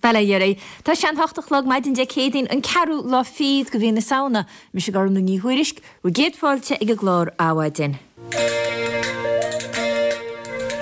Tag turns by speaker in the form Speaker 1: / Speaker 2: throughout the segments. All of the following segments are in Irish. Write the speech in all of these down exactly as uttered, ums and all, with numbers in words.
Speaker 1: Bail ó Dhia oraibh. Tá sé an hocht a chlog maidin Dé Céadaoin, an ceathrú lá fichead de mhí na Samhna. Mise Gormlaith Ní Thuairisg, bhur gcéad fáilte ag an gclár Adhmhaidin.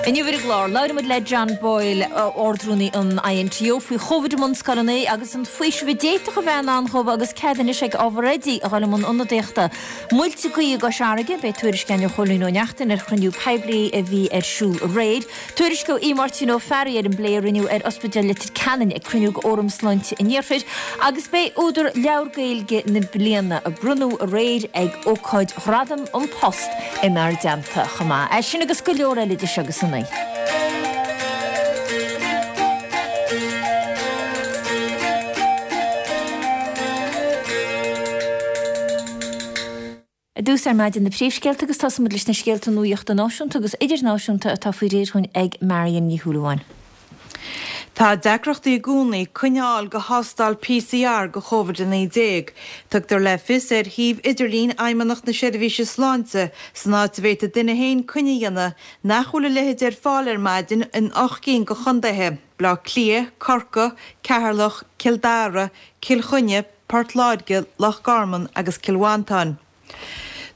Speaker 1: Inniu ar an gclár, labhróimid le John Boyle, Ard-Rúnaí an INTO, faoi Chóvid i mbunscoileanna agus an faoiseamh a d'fhéadfadh a bheith in ann dhóibh agus cead anois ag ábhar oidí a dhul i mbun ionadaíochta. Muilte gaoithe i gCois Fharraige, beidh tuairisc againn ó Chóilín Ó Neachtain ar chruinniú poiblí a bhí ar siúl aréir. Tuairisc ó Aodh Máirtín Ó Fearraigh ar an bplé a rinneadh ar Ospidéal Leitir Ceanainn ag cruinniú d'Fhóram Sláinte an Iarthair agus beidh údar Leabhar Gaeilge na Bliana a bronnadh aréir ag ócáid Ghradaim An Post inár dteannta chomh maith. É sin agus go leor eile idir seo agus a naoi. I dtús ar maidin na príomhscéalta agus tosóimid leis na scéalta nuachta náisiúnta agus idirnáisiúnta atá faoi réir dhúinn ag Marion Ní Shúilleabháin.
Speaker 2: Tá deacrachtaí i gcónaí coinne a fháil do thástáil PCR do Chóvid a naoi déag. Tugtar le fios ar shuíomh idirlín Fheidhmeannacht na Seirbhíse Sláinte, san áit a bhféadfaidh duine féin coinne a dhéanamh, nach bhfuil a leithéid ar fáil ar maidin in ocht gcinn de chontaetha, Baile Átha Cliath, Corcaigh, Ceatharlach, Cill Dara, Cill Chainnigh, Port Láirge, Loch Garman agus Cill Mhantáin.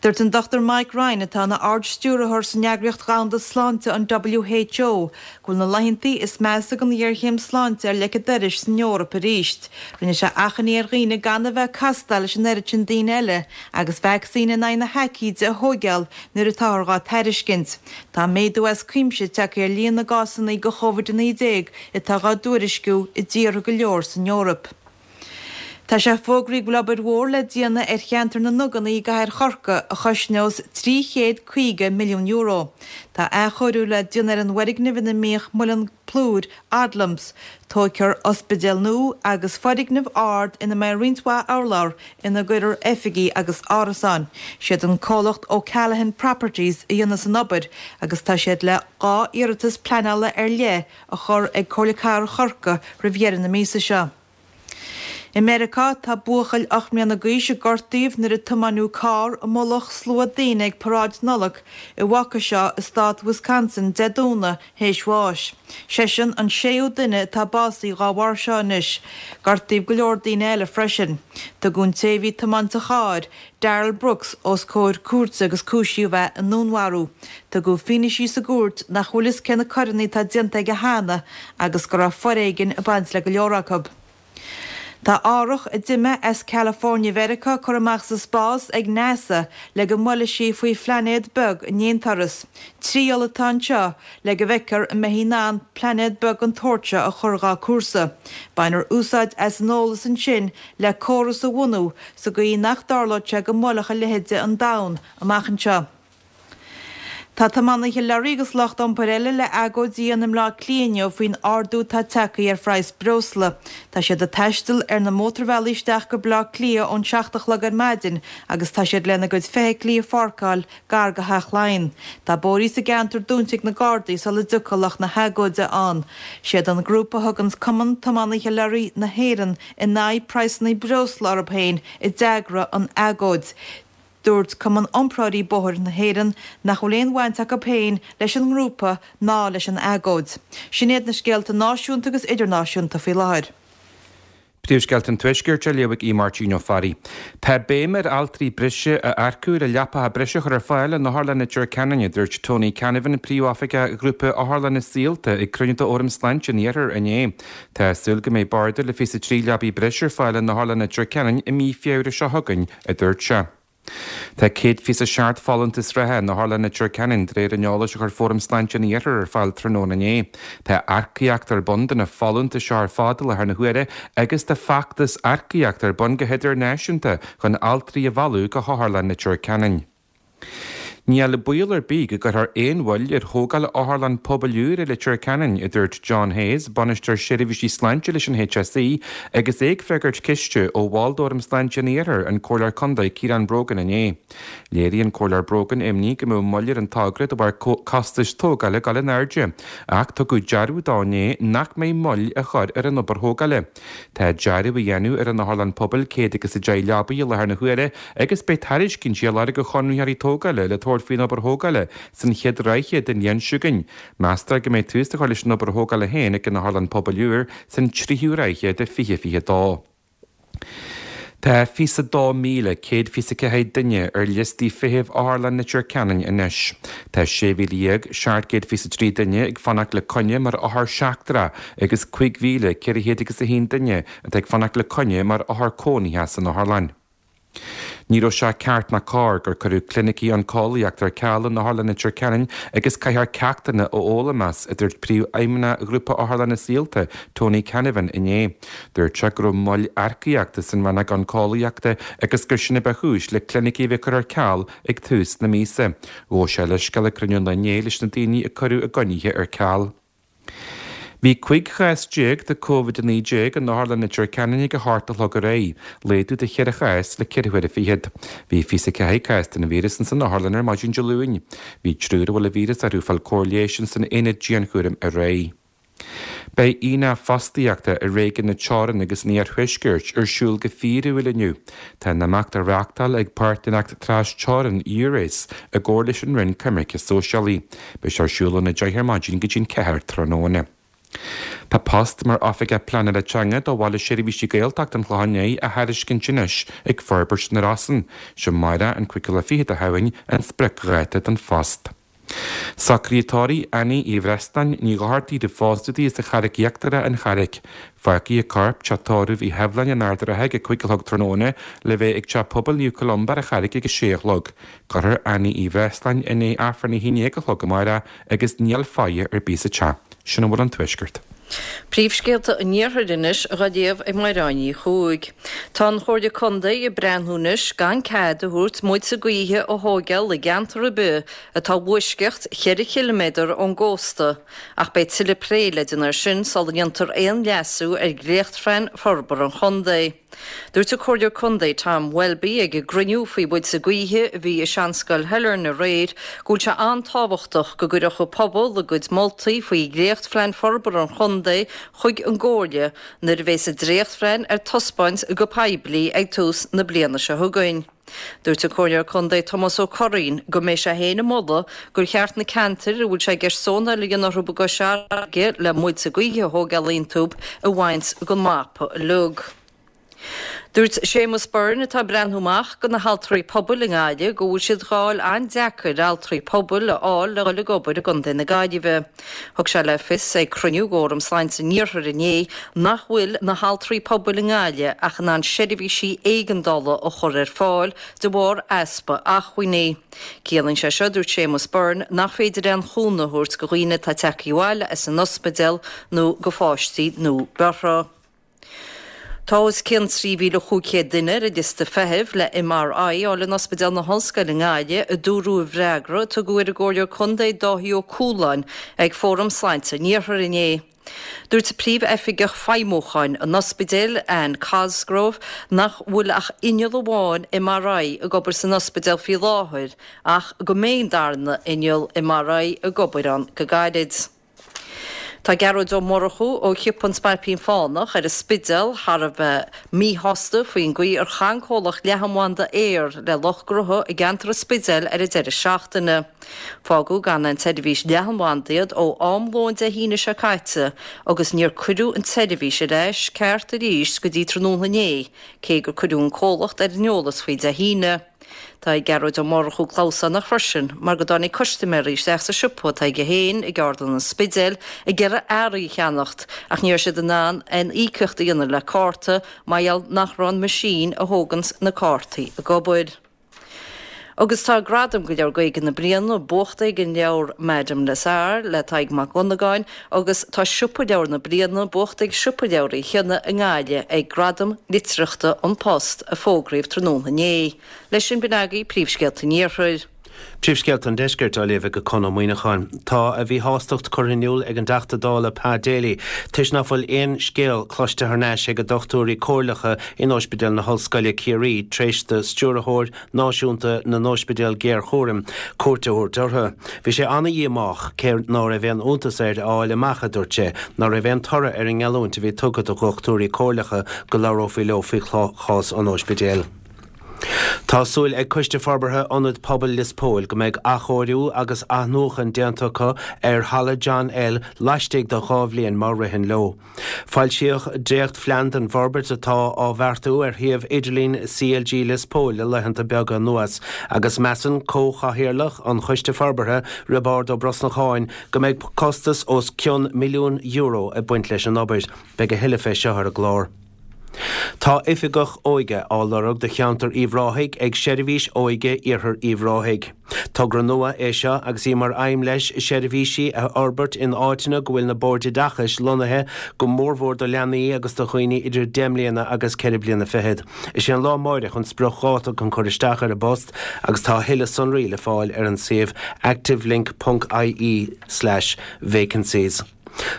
Speaker 2: Dúirt an Dochtúir Mike Ryan, atá ina Ard-Stiúrthóir san Eagraíocht Dhomhanda Sláinte, an WHO, go bhfuil na laethanta is measa den ghéarchéim sláinte ar leic an dorais san Eoraip arís. Rinne sé achainí ar dhaoine gan a bheith ag castáil leis an oiread sin daoine eile agus vacsaín in aghaidh na haicíde a thóigeáil nuair atáthar dhá tairiscint. Tá méadú as cuimse tagtha ar líon na gcásanna de Chóvid a naoi déag atá dhá dtuairisciú i dtíortha go leor san Eoraip. Tá sé fógraithe go bhfuil obair mhór le déanamh ar cheantar na nDuganna i gcathair Chorcaí a chosnós trí chéad caoga milliún euro. Tá athchóiriú le déanamh ar an bhfoirgneamh ina mbíodh muileann plúir Odlums. Tógfar ospidéal nua agus foirgneamh ard ina mbeidh roinnt mhaith urlár ina gcuirfear oifigí agus árasáin. Siad an comhlacht O'Callaghan Properties a dhéanfas an obair agus tá siad le dhá iarratas pleanála ar leith a chur ag Comhairle Cathrach Chorcaí roimh dheireadh na míosa seo. I Meiriceá, tá buachaill ocht mbliana d'aois a gortaíodh nuair a tiomáineadh carr i mullach slua daoine ag paráid Nollag i Waukesha i stát Wisconsin Dé Domhnaigh théis bháis. Seisean an séú duine atá básaithe dhá bharr seo anois. Gortaíodh go leor daoine eile freisin. Tugadh an té a bhí ag tiomáint an chairr, Darrell Brooks, os comhair cúirte agus cúisíodh é i ndúnmharú. Tugadh fianaisí sa gcúirt nach bhfuil fhios cé na coireanna atá déanta aige cheana agus go raibh foréigean ag baint le go leor acu. Tá árthach a d'imigh as California Mheiriceá curtha amach sa spás ag NASA le go mbuailfidh sí faoi phlainéad beag in aon turas. Triail atá anseo le go bhfeicfear an mbeifí in ann plainéad beag den tsórt seo a chur dhá cúrsa. Bainfear úsáid as an eolas ansin le córas a bhunú sa gcaoi nach dtarlóidh sé go mbuailfeadh a leithéid an domhan amach anseo. Tá tiománaithe leoraí agus lucht iompair eile le agóid a dhéanamh i mBleá Cliath inniu faoin ardú atá tagtha ar phraghas breosla. Tá siad ag taisteal ar na mótarbhealaí isteach go Bleá Cliath ón seacht a chlog ar maidin agus tá siad lena gcuid feithiclí a pháirceáil gar go Theach Laighean. Tá bóithrí sa gceantar dúnta ag na Gardaí sula dtiocfaidh lucht na hagóide ann. Siad an grúpa a thuganns Cumann Tiománaithe Leoraí na hÉireann in aghaidh praghsanna breosla orthu féin a d'eagraigh an agóid. Dúirt Cumann Iompróirí Bóthair na hÉireann nach bhfuil aon bhaint acu féin leis an ngrúpa ná leis an agóid. Sin iad na scéalta náisiúnta agus idirnáisiúnta faoi láthair.
Speaker 3: Príomhscéalta an Tuaiscirt á léamh ag Aodh Máirtín Ó Fearraigh. Tá béim ar altraí breise a earcú le leapacha breise a chur ar fáil in Otharlann Leitir Ceanainn, a dúirt Tony Canavan, Príomhoifigeach Ghrúpa Otharlanna Saolta ag cruinniú d'Fhóram Sláinte an Iarthair inné. Tá súil go mbeidh barda le fiche trí leabaí breise ar fáil in Otharlann Leitir Ceanainn i mí Feabhra seo chugainn, a dúirt sé. Tá céad fiche a seacht folúntas reatha in Otharlann Leitir Ceanainn de réir an eolais a chuir Fóram Sláinte an Iarthair ar fáil tráthnóna inné. Tá earcaíocht ar bun do na folúntais seo ar fad i láthair na huaire agus tá feachtas earcaíochta ar bun go hidirnáisiúnta chun altraí a mhealladh go hOtharlann Leitir Ceanainn. Níl baol ar bith go gcuirfear aon mhoill ar thógáil otharlann pobail úr i Leitir Ceanainn, a dúirt John Hayes, Bainisteoir Seirbhísí Sláinte leis an HSE, agus é ag freagairt ceiste ó bhall d'Fhóram Sláinte an Iarthair, an Comhairleoir Contae Ciarán Brogan inné. Léirigh an Comhairleoir Brogan imní go mbeadh moill ar an togra de bharr costais tógála ag dul in airde, ach tugadh dearbhú dó inné nach mbeidh moill á chur ar an obair thógála. Tá dearadh á dhéanamh ar an otharlann pobail céad agus a deich leabaí i láthair na huaire agus beidh tairiscintí á lorg ó chonraitheoirí tógála le tabhairt thabhairt faoin obair thógála san chéad ráithe den bhliain seo chugainn. Meastar go mbeidh tús á chur leis an obair thógála féin ag an Otharlann Pobail úr san tríú ráithe de fiche fiche dó. Tá fiche a dó míle céad fiche a ceathair duine ar liostaí feithimh Otharlann Leitir Ceanainn anois. Tá sé mhíle dhéag seacht gcéad fiche a trí duine ag fanacht le coinne mar othar seachtrach agus cúig mhíle ceithre chéad agus a haon duine atá ag fanacht le coinne mar othar cónaithe san otharlann. Ní raibh sé ceart ná cóir gur cuireadh clinicí oncólaíochta ar ceal in Otharlann Leitir Ceanainn agus caithfear ceachtanna a fhoghlaim as, a dúirt Príomhfheidhmeannach Ghrúpa Otharlanna Saolta, Tony Canavan inné. Dúirt sé go raibh moill earcaíochta san rannóg oncólaíochta agus gur sin a ba chúis le clinicí a bheith curtha ar ceal ag tús na míosa. Ghabh sé leithscéal ag cruinniú an lae inné leis na daoine a cuireadh a gcoinnithe ar ceal. Bhí cúig chás déag de Covid a naoi déag in Otharlann Leitir Ceanainn ag a hocht a chlog aréir, laghdú de cheithre chás le ceithre huaire fichead. Bhí fiche a ceathair cás den víreas ins an otharlann ar maidin Dé Luain. Bhí triúr a bhfuil an víreas orthu ag fáil cóir leighis ins an aonad dianchúraim aréir. Beidh aonach fostaíochta i réigiún na Teorann agus an Iarthuaiscirt ar siúl go fíorúil inniu. Tá an imeacht á reáchtáil ag Páirtnéireacht Tras-Teorann Eures i gcomhar leis an Roinn Coimirce Sóisialaí. Beidh sé ar siúl óna deich ar maidin go dtí'n ceathair tráthnóna. Tá post mar Oifigeach Pleanála Teanga do Bhaile Seirbhísí Gaeltacht an Chlocháin Léith á thairiscint anois ag Forbairt na Rosann. Sé amárach an cúigiú lá fichead de Shamhain an spriocdháta don phost. Socruithe tórraimh Annie Uí Bhreasláin, Ní Dhochartaigh roimh phósadh di as an Charraic Íochtarach, An Charraic. Fágfaidh a corp teach tórraimh Uí Sheibhleáin in Ard an Rátha ag a cúig a chlog tráthnóna le bheith ag Teach Pobail Naomh Columba ar an Charraic ag a sé a chlog. Cuirfear Annie Uí Bhreasláin i ndiaidh Aifreann a haon déag a chlog amárach agus níl faire ar bith sa teach. Sin a bhfuil ón Tuaisceart.
Speaker 4: Príomhscéalta an Iarthair anois á léamh ag Mairéad Ní Chuaig. Tá an Chomhairle Contae ag breathnú anois gan cead a thabhairt muilte gaoithe a thógáil i gceantar ar bith atá i bhfoisceacht cheithre chiliméadar ón gcósta, ach beidh tuilleadh plé le déanamh air sin sula ndéantar aon leasú ar dhréachtphlean forbartha an chontae. Dúirt an Comhairleoir Contae Tom Welby ag an gcruinniú faoi mhuilte gaoithe a bhí i Seanscoil Shailearn aréir go bhfuil sé an-tábhachtach go gcuirfeadh an pobal a gcuid moltaí faoi dhréachtphlean forbartha an chontae chuig an gComhairle nuair a bheas an dréachtphlean ar taispeáint go poiblí ag tús na bliana seo chugainn. Dúirt an Comhairleoir Contae Tomás Ó Curraoin go mbeidh sé féin ag moladh gur cheart na ceantair a bhfuil sé i gceist zónáil a dhéanamh orthu i gCois Fharraige le muilte gaoithe a thógáil iontu a bhaint den mapa uilig. Dúirt Séamus Byrne atá ag breathnú amach do na haltraí pobail i nGaillimh go bhfuil siad dhá fháil an-deacair altraí pobail a fháil le dhul ag obair i gContae na Gaillimhe. Thug sé le fios ag cruinniú d'Fhóram Sláinte an Iarthair inné nach bhfuil na haltraí pobail i nGaillimh ach in ann seirbhísí éigeandála a chur ar fáil de bharr easpa acmhainní. Ciallaíonn sé seo, dúirt Séamus Byrne, nach féidir aon chúnamh a thabhairt do dhaoine atá tagtha abhaile as an ospidéal nó do pháistí nua-bheirthe. Tá os cionn trí mhíle chúig chéad duine ar an liosta feithimh le M R I a fháil in Ospidéal na hOllscoile i nGaillimh, a dúradh i bhfreagra a tugadh ar an gComhairleoir Contae Dáithí Ó Cualáin ag Fóram Sláinte an Iarthair inné. Dúirt Príomh-Oifigeach Feidhmiúcháin an ospidéil, Anne Cosgrove, nach bhfuil ach inneall amháin M R I ag obair san ospidéal faoi láthair ach go mbeidh an darna inneall M R I ag obair ann go gairid. Tá Gearóid Ó Murchú ó Shiopa an Spailpín Fánach ar an Spidéal thar a bheith míshásta faoin gcaoi ar chaith an comhlacht leathanbhanda Eir le lucht gnótha i gceantar an Spidéil ar an deireadh seachtaine. Fágadh gan an tseirbhís leathanbhanda iad ó am lóin Dé hAoine seo caite agus níor cuireadh an tseirbhís ar ais ceart arís go dtí tráthnóna inné, cé gur cuireadh an comhlacht ar an eolas faoi Dé hAoine. Tá Gearóid Ó Murchú clamhsánach freisin mar go dtáinig custaiméirí isteach sa siopa atá aige féin i gceardlann an Spidéil ag iarraidh earraí a cheannacht ach ní raibh siad in ann aon íocaíocht a dhéanamh le cárta mar gheall nach raibh an meaisín a thóganns na cártaí ag obair. Agus tá gradam do Leabhar Gaeilge na Bliana buachta ag an leabhar Madame Lazare le Tadhg Mac Dhonnagáin agus tá Siopa Leabhar na Bliana buachta ag Siopa Leabhar Uí Chionnaith i nGaillimh ag Gradam Litearthachta An Post a fógraíodh tráthnóna inné. Leis sin b'in agaibh príomhscéalta an Iarthair.
Speaker 5: Príomhscéalta an Deiscirt á léamh ag Conn Ó Muíneacháin. Tá a mhíshástacht curtha in iúl ag an dTeachta Dála Pat Daly toisc nach bhfuil aon scéal cloiste thar n-ais ag dochtúirí comhairleacha in Ospidéal na hOllscoile Ciarraí tar éis do stiúrthóir náisiúnta na n-ospidéal géarchúraim cuairt a thabhairt orthu. Bhí sé an-dhíomách cé ná raibh aon iontas air a fháil amach a dúirt sé, ná raibh aon toradh ar an ngeallúint a bhí tugtha do dhochtúirí comhairleacha go labhrófaí leo faoi chás an ospidéil. Tá súil ag Coiste Forbartha Ionad Pobail Lios Póil go mbeidh athchóiriú agus athnuachan déanta acu ar Halla John L laistigh de dhá bhliain má ritheann leo. Foilsíodh dréachtphlean den bhforbairt atá á bheartú ar shuíomh idirlín C L G Lios Póil le laethanta beaga anuas, agus measann comhchathaoirleach an Choiste Forbartha, Roibeárd Ó Brosnacháin, go mbeidh costas os cionn milliún euro ag baint leis an obair. Beidh a thuilleadh fé seo ar an gclár. Tá oifigeach óige á lorg do cheantar Uíbh Ráthaigh ag Seirbhís Óige Iarthar Uíbh Ráthaigh. Togra nua é seo agus í mar aidhm leis seirbhísí a fhorbairt in áiteanna go bhfuil na boird oideachais lonnaithe, go mórmhór do leanaí agus do dhaoine idir deich mbliana agus ceithre bliana fichead. Is é an lá amárach an spriocdháta chun cur isteach ar an bpost agus tá thuilleadh sonraí le fáil ar an suíomh activelink ponc I E slash vacancies.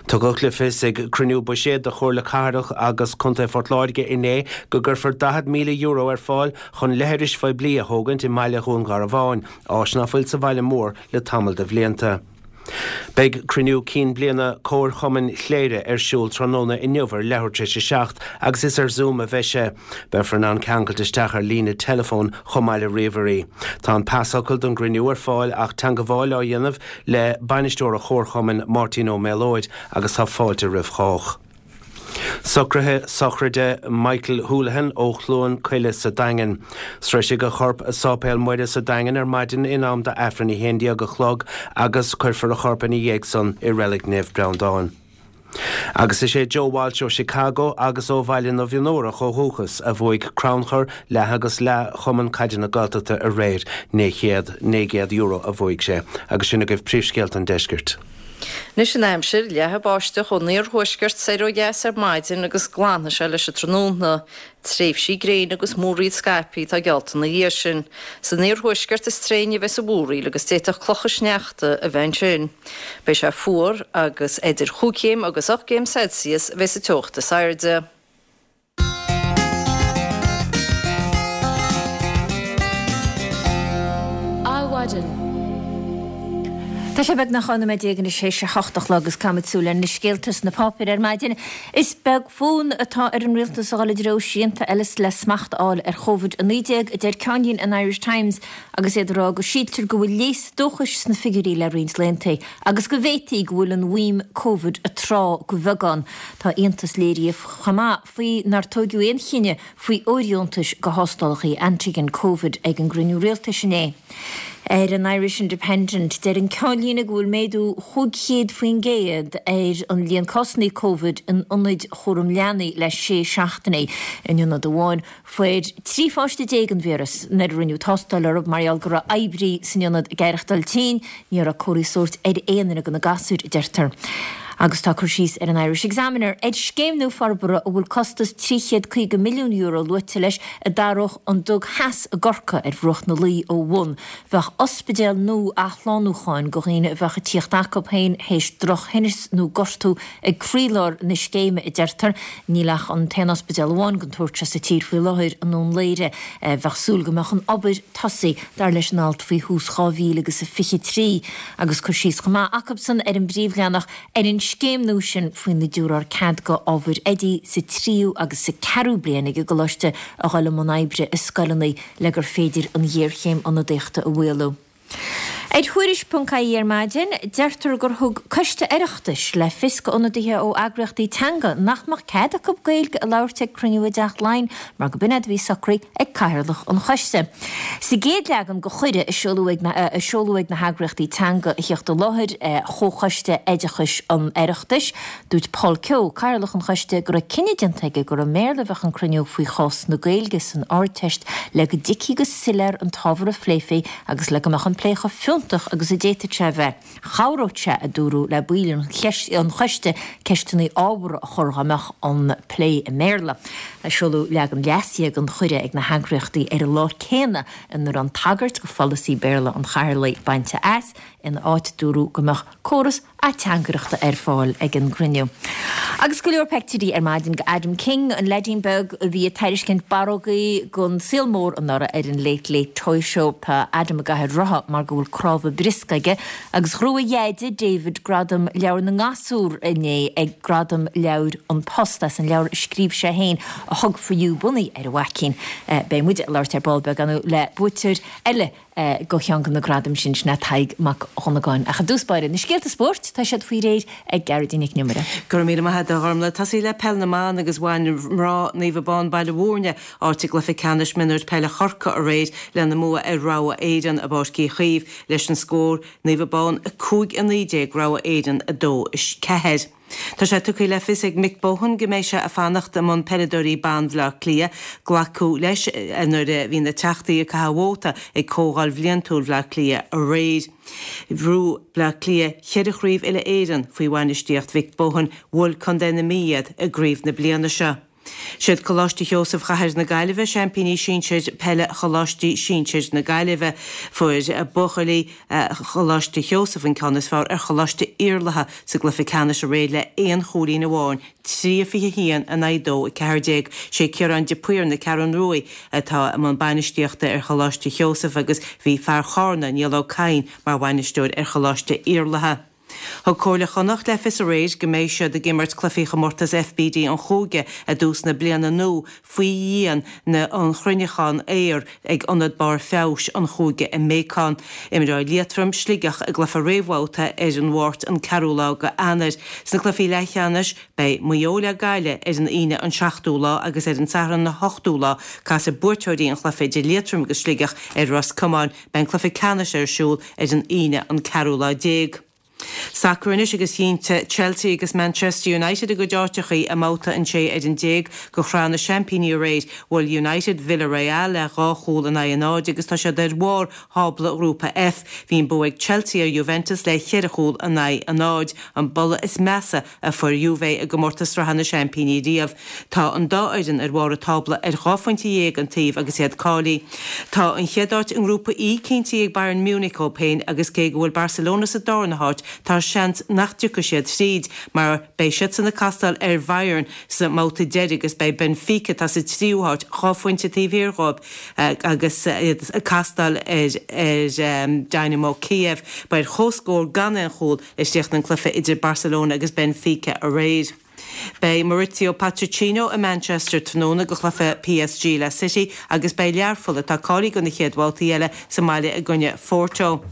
Speaker 5: Tugadh le fios ag cruinniú buiséid de Chomhairle Cathrach agus Contae Phort Láirge inné go gcuirfear daichead míle euro ar fáil chun leithris phoiblí a thógaint i mbaile Dhún Garbhán, áis nach bhfuil sa bhaile mór le tamall de bhlianta. Beidh cruinniú cinn bliana Comharchumann Chléire ar siúl tráthnóna inniu ar leathuair tar éis a seacht agus is ar Zoom a bheidh sé. Beifear in ann ceangailt isteach ar líne teileafóin chomh maith le ríomhairí. Tá an pasfhocal don gcruinniú ar fáil ach teagmháil á dhéanamh le bainisteoir an Chomharchumainn, Máirtín Ó Méalóid, agus tá fáilte roimh chách. Socruithe sochraide Michael Houlihan ó Chluain Coille sa Daingean. Sroisfidh a chorp Sáipéal Muire sa Daingean ar maidin in am d'Aifreann a haon déag a chlog agus cuirfear a chorp ina dhiaidh san i Reilig Naomh Breandán. Agus is é Joe Walsh ó Chicago agus ó Bhaile na bhFionnúrach ó dhúchas a bhuaigh crannchur leath agus leath Chumann Caide na Gaeltachta aréir. naoi gcéad euro a bhuaigh sé, agus sin agaibh príomhscéalta an deiscirt.
Speaker 4: Anois an aimsir. Leathfaidh báisteach ón iarthuaisceart soir ó dheas ar maidin agus glanfaidh sé leis an tráthnóna. Tréimhsí gréine agus múraíl scaipthe atá geallta ina dhiaidh sin. San iarthuaisceart is tréine a bheas an mhúraíl agus d'fhéadfadh clocha sneachta a bheith ansin. Beidh sé fuar agus idir chúig chéim agus ocht gcéim Celsius a bheas an teocht is airde.
Speaker 1: Adhmhaidin. Tá sé beagnach dhá nóiméad déag anois théis a hocht a chlog agus caithfimid súil ar na scéalta sna páipéir ar maidin. Is beag fonn atá ar an rialtas a dhul i dtreo srianta eile le smacht a fháil ar Covid a naoi déag, a deir ceannlíne an Irish Times agus iad ag rá go síltear go bhfuil léas dóchais sna figiúirí le roinnt laethanta agus go bhféadfaí go bhfuil an mhaidhm Covid ag trá go beagán. Tá iontas léirithe chomh maith faoi nár tógadh aon chinneadh faoi fhóirdheontais do thástálacha antigen Covid ag an gcruinniú rialtais inné. Ar an Irish Independent, deir an ceannlíne go bhfuil méadú chúig chéad faoin gcéad ar an líon cásanna Covid in ionaid chúram leanaí le sé seachtainí. In ionad amháin, fuair trí pháiste déag an víreas nuair a rinneadh tástáil orthu mar gheall go raibh oibrí san ionad ag aireachtáil tinn. Ní raibh comharthaí sóirt ar aon duine de na gasúir, a deirtear. Agus tá cur síos ar an Irish Examiner ar scéim nua forbartha a bhfuil costas trí chéad caoga milliún euro luaite leis a d'athródh an Dug Theas i gCorcaigh ar bhruach na Laoi ó bhun. Bheadh ospidéal nua athshlánúcháin do dhaoine a bheadh ag tíocht acu féin théis drochthinneas nó gortú ag croílár na scéime, a deirtear. Níl ach an t-aon ospidéal amháin den tsórt seo sa tír faoi láthair, i nDún Laoghaire. Bheadh súil go mbeadh an obair tosaithe, dar leis an alt, faoi thús dhá mhíle agus a fiche trí. Agus cur síos chomh maith acusan ar an bpríomhleathanach ar an scéim nua sin faoina dtabharfar cead do ábhair oidí sa tríú agus sa ceathrú bliain ag an gcoláiste a dhul i mbun oibre i scoileanna le gur féidir an ghéarchéim ionadaíochta a mhaolú. Ar Thuairisc ponc I E ar maidin, deirtear gur thug Coiste Oireachtais le fios d'ionadaithe ó eagraíochtaí teanga nach mbeadh cead acu Gaeilge a labhairt ag cruinniú i dTeach Laighean mar go b'in é a bhí socraithe ag Cathaoirleach an Choiste. Sa gcéad leagan de chuireadh a seoladh ag na a seoladh ag na heagraíochtaí teanga a theacht i láthair Chomhchoiste Oideachais an Oireachtais, dúirt Paul Kehoe, Cathaoirleach an Choiste, go raibh cinneadh déanta aige gur i mBéarla a bheadh an cruinniú faoi chás na Gaeilge san Ardteist le go dtuigfí go soiléir an t-ábhar a phléifí agus le go mbeadh an plé chomh fiúntach agus a d'fhéadfadh sé a bheith. Chabhródh sé, a dúradh, le baill an choiste ceisteanna ábhartha a chur dá mbeadh an plé i mBéarla. Seoladh leagan leasaithe den chuireadh ag na heagraíochtaí ar an lá céanna ina raibh an tagairt do pholasaí Béarla an Chathaoirligh bainte as. Ina áit dúradh go mbeadh córas ateangaireachta ar fáil ag an gcruinniú. Agus go leor peictiúirí ar maidin go Adam King, an leaidín beag a bhí ag tairiscint barrógaí gon saol mór anuraidh ar an Late Late Toy Show. Tá Adam i gcathaoir rotha mar go bhfuil cnámha briosca aige agus ghnóthaigh a dheaide David Gradam Leabhar na nGasúr inné ag Gradaim Leabhair An Post as an leabhar a scríobh sé féin A Hug For You bunaithe ar a mhaicín. Beidh muid ag labhairt ar ball beag le buaiteoir eile go cheann de na gradaim sin, sin é Tadhg Mac Dhonnagáin. Ach i dtús báire, na scéalta spóirt, tá siad faoi réir ag Gearóidín Nic an Iomaire.
Speaker 2: Go raibh míle maith agat a Ghormlaith. Tosaí le Peil na mBan agus bhain mná Naomh Abán Baile Mhúirne áit i gcluiche ceannais mionúir peile Chorcaí aréir lena mbua ar Rogha Éireann i bPáirc Uí Chaoimh leis an scór Naomh Abán a cúig a naoi déag Rogha Éireann a dó a ceathair. Tá sé tugtha le fios ag Mick Bohan go mbeidh sé ag fanacht i mbun peileadóirí ban Bhaile Átha Cliath. Glacadh leis nuair a bhí na teachtaí ag caitheamh vóta ag Comhdháil Bhliantúil Bhaile Átha Cliath aréir. Bhuaigh Bleá Cliath cheithre chraobh uile-Éireann faoi bhainistíocht Mhick Bohan, bhuail Contae na Mí iad i gcraobh na bliana seo. Siad Coláiste Sheosaimh Chathair na Gaillimhe seaimpíní sinsir peile Choláistí Sinsir na Gaillimhe. Fuair buachaillí Choláiste Sheosaimh an ceann is fearr ar Choláiste Iarlatha sa gcluiche ceannais aréir le aon chúilín amháin, trí a fiche a haon in aghaidh dó a ceathair déag. Sé Ciarán de Paor na Ceathrún Ruaidh atá i mbun bainistíochta ar Choláiste Sheosaimh agus bhí fear Chárna, Niall Ó Cadhain, mar bhainisteoir ar Choláiste Iarlatha. Thug Comhairle Chonnacht le fios aréir go mbeidh siad ag imirt cluichí chomórtas FBD an chúige i dtús na bliana nua faoi dhíon na an chruinneachán aeir ag Ionad Barr Feabhais an Chúige i mBéacán. Imreoidh Liatroim, Sligeach i gcluiche réamhbhabhta ar an Mháirt an ceathrú lá go Eanáir. Sna cluichí leathcheannais beidh Maigh Eo le Gaillimh ar an Aoine an seachtú lá agus ar an Satharn an hochtú lá casfaidh buaiteoirí an chluiche idir Liatroim agus Sligeach ar Ros Comáin. Beidh an cluiche ceannais ar siúl ar an Aoine an ceathrú lá déag. Sacar anois agus chinn Chelsea agus Manchester United a gcuid áiteachaí i mbabhta an sé ar an déag go Shraith na Seaimpíní aréir. Bhuail United Villarreal le dhá chúl in aghaidh a náid agus tá siad ar bharr thábla Ghrúpa F. Bhí an bua ag Chelsea ar Juventus le cheithre chúl in aghaidh a náid, an buille is measa a fuair Juve i gcomórtas Sraithe na Seaimpíní riamh. Tá an dá fhoireann ar bharr an tábla ar dhá phointe dhéag an taobh agus iad cáilithe. Tá an chéad áit i nGrúpa E cinntithe ag Bayern Munich dhóibh féin agus cé go bhfuil Barcelona sa darna háit, tá seans nach dtiocfaidh siad tríd mar beidh siadsan ag castáil ar Bhayern sa mbabhta deiridh agus beidh Benfica, atá sa tríú háit, dhá phointe taobh thiar dhóibh agus iad ag castáil ar Dynamo Kiev. Ba ar comhscór gan aon chúl a chríochnaigh an cluiche idir Barcelona agus Benfica aréir. Beidh Mauricio Pochettino i Manchester tráthnóna go chluiche PSG le City agus beidh Learpholl, atá cáilithe do na chéad bhabhtaí eile, sa mbaile i gcoinne Phorto.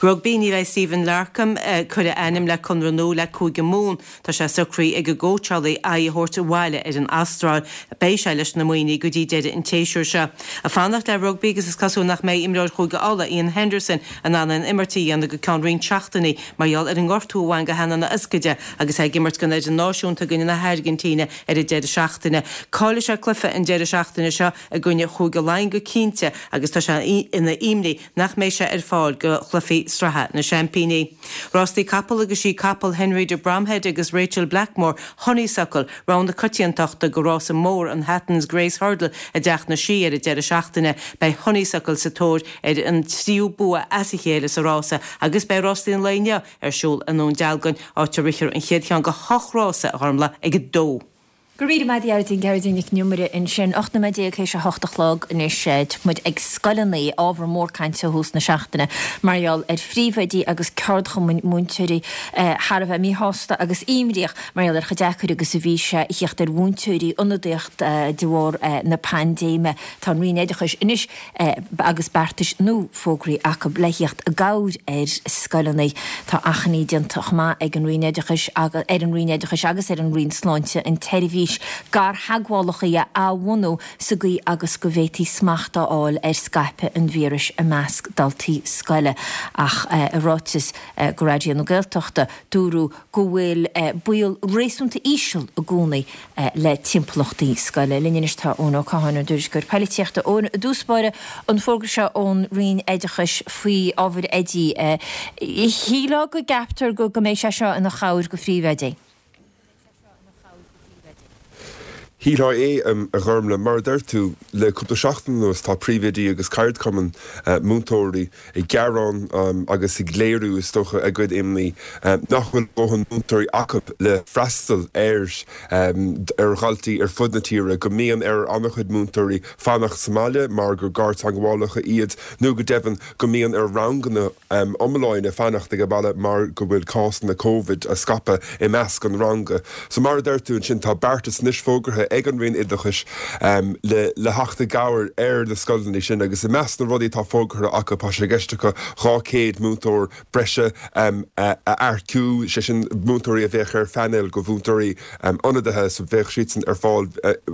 Speaker 2: Rugbaí, Ní bheidh Stephen Larkham ag cur a ainm le conradh nua le Cúige Mumhan. Tá sé socraithe ag an gcóitseálaí aghaidh a thabhairt abhaile ar an Astráil. Beidh sé leis na Muimhnigh go dtí deireadh an tséasúir seo. Ag fanacht le rugbaí agus is cosúil nach mbeidh imreoir Chúige Uladh, Iain Henderson, in ann aon imirt a dhéanamh go ceann roinnt seachtainí mar gheall ar an ngortú a bhain go hanann a ioscaide agus é ag imirt don fhoireann náisiúnta i gcoinne na hAirgintíne ar an deireadh seachtaine. Caillfidh sé cluiche an deireadh seachtaine seo i gcoinne Chúige Laighean go cinnte agus tá sé ina imní nach mbeidh sé ar fáil go chluichí sraithe na Seaimpíní. Rástaí capall agus sí capall Henry de Bromhead agus Rachael Blackmore, Honeysuckle, rogha na coitiantachta go rása mór an Hatton's Grace Hurdle i dTeach na Sí ar an deireadh seachtaine. Beidh Honeysuckle sa tóir ar an tríú bua as a chéile sa rása agus beidh rástaí an lae inniu ar siúl i nDún Dealgan, áit a rithfear an chéad cheann de hocht rása, a Ghormlaith, ag a dó.
Speaker 1: Go raibh míle maith agat a Ghearóidín, Gearóidín Nic an Iomaire ansin. Ocht nóiméad déag théis a hocht a chlog anois. Tá muid ag scoileanna, ábhar mór cainte ó thús na seachtaine mar gheall ar phríomhoidí agus ceardchumainn múinteoirí thar a bheith míshásta agus imníoch mar gheall ar chomh deacair agus a bhí sé a thíocht ar mhúinteoirí ionadaíocht de bharr na paindéime. Tá an Roinn Oideachais anois agus beartais nua fógraithe acu le thíocht i gcabhair ar scoileanna. Tá achainí déanta chomh maith ag an Roinn Oideachais ar an Roinn Oideachais agus ar an Roinn Sláinte an tseirbhís gartheagmhálacha a athbhunú sa gcaoi agus go bhféadfaí smacht a fháil ar scaipeadh an víris i measc daltaí scoile. Ach i ráiteas go Raidió na Gaeltachta dúradh go bhfuil baol réasúnta íseal i gcónaí le timpeallachtaí scoile. Linn anois tá Eoin Ó Catháin, ár dtuairisceoir poilitíochta. Eoin, i dtús báire, an fógra seo ón Roinn Oideachais faoi ábhair oidí, shílfeá go gceaptar go mbeidh sé seo ina chabhair go phríomhoidí?
Speaker 6: Shílfeá é, a Ghormlaith. Mar a deir tú, le cúpla seachtain anuas tá príomhoidí agus ceardchumainn múinteoirí ag gearán agus ag léiriú, is dócha, a gcuid imní nach bhfuil dóthain múinteoirí acu le freastal ar ar dhaltaí ar fud na tíre, go mbíonn ar an-chuid múinteoirí fanacht sa mbaile mar gur garteagmhálacha iad nó go deimhin go mbíonn ar ranganna iomlána fanacht ag baile mar go bhfuil cásanna Covid á scaipeadh i measc an ranga. So mar a deir tú ansin, tá beartas anois fógartha ag an Roinn Oideachais le le theacht i gcabhair ar na scoileanna sin agus i measc na rudaí atá fógartha acu tá sé i gceist acu dhá chéad múinteoir breise a earcú, sé sin múinteoirí a bheadh ar phainéal de mhúinteoirí ionadaithe so bheadh siadsan ar fáil.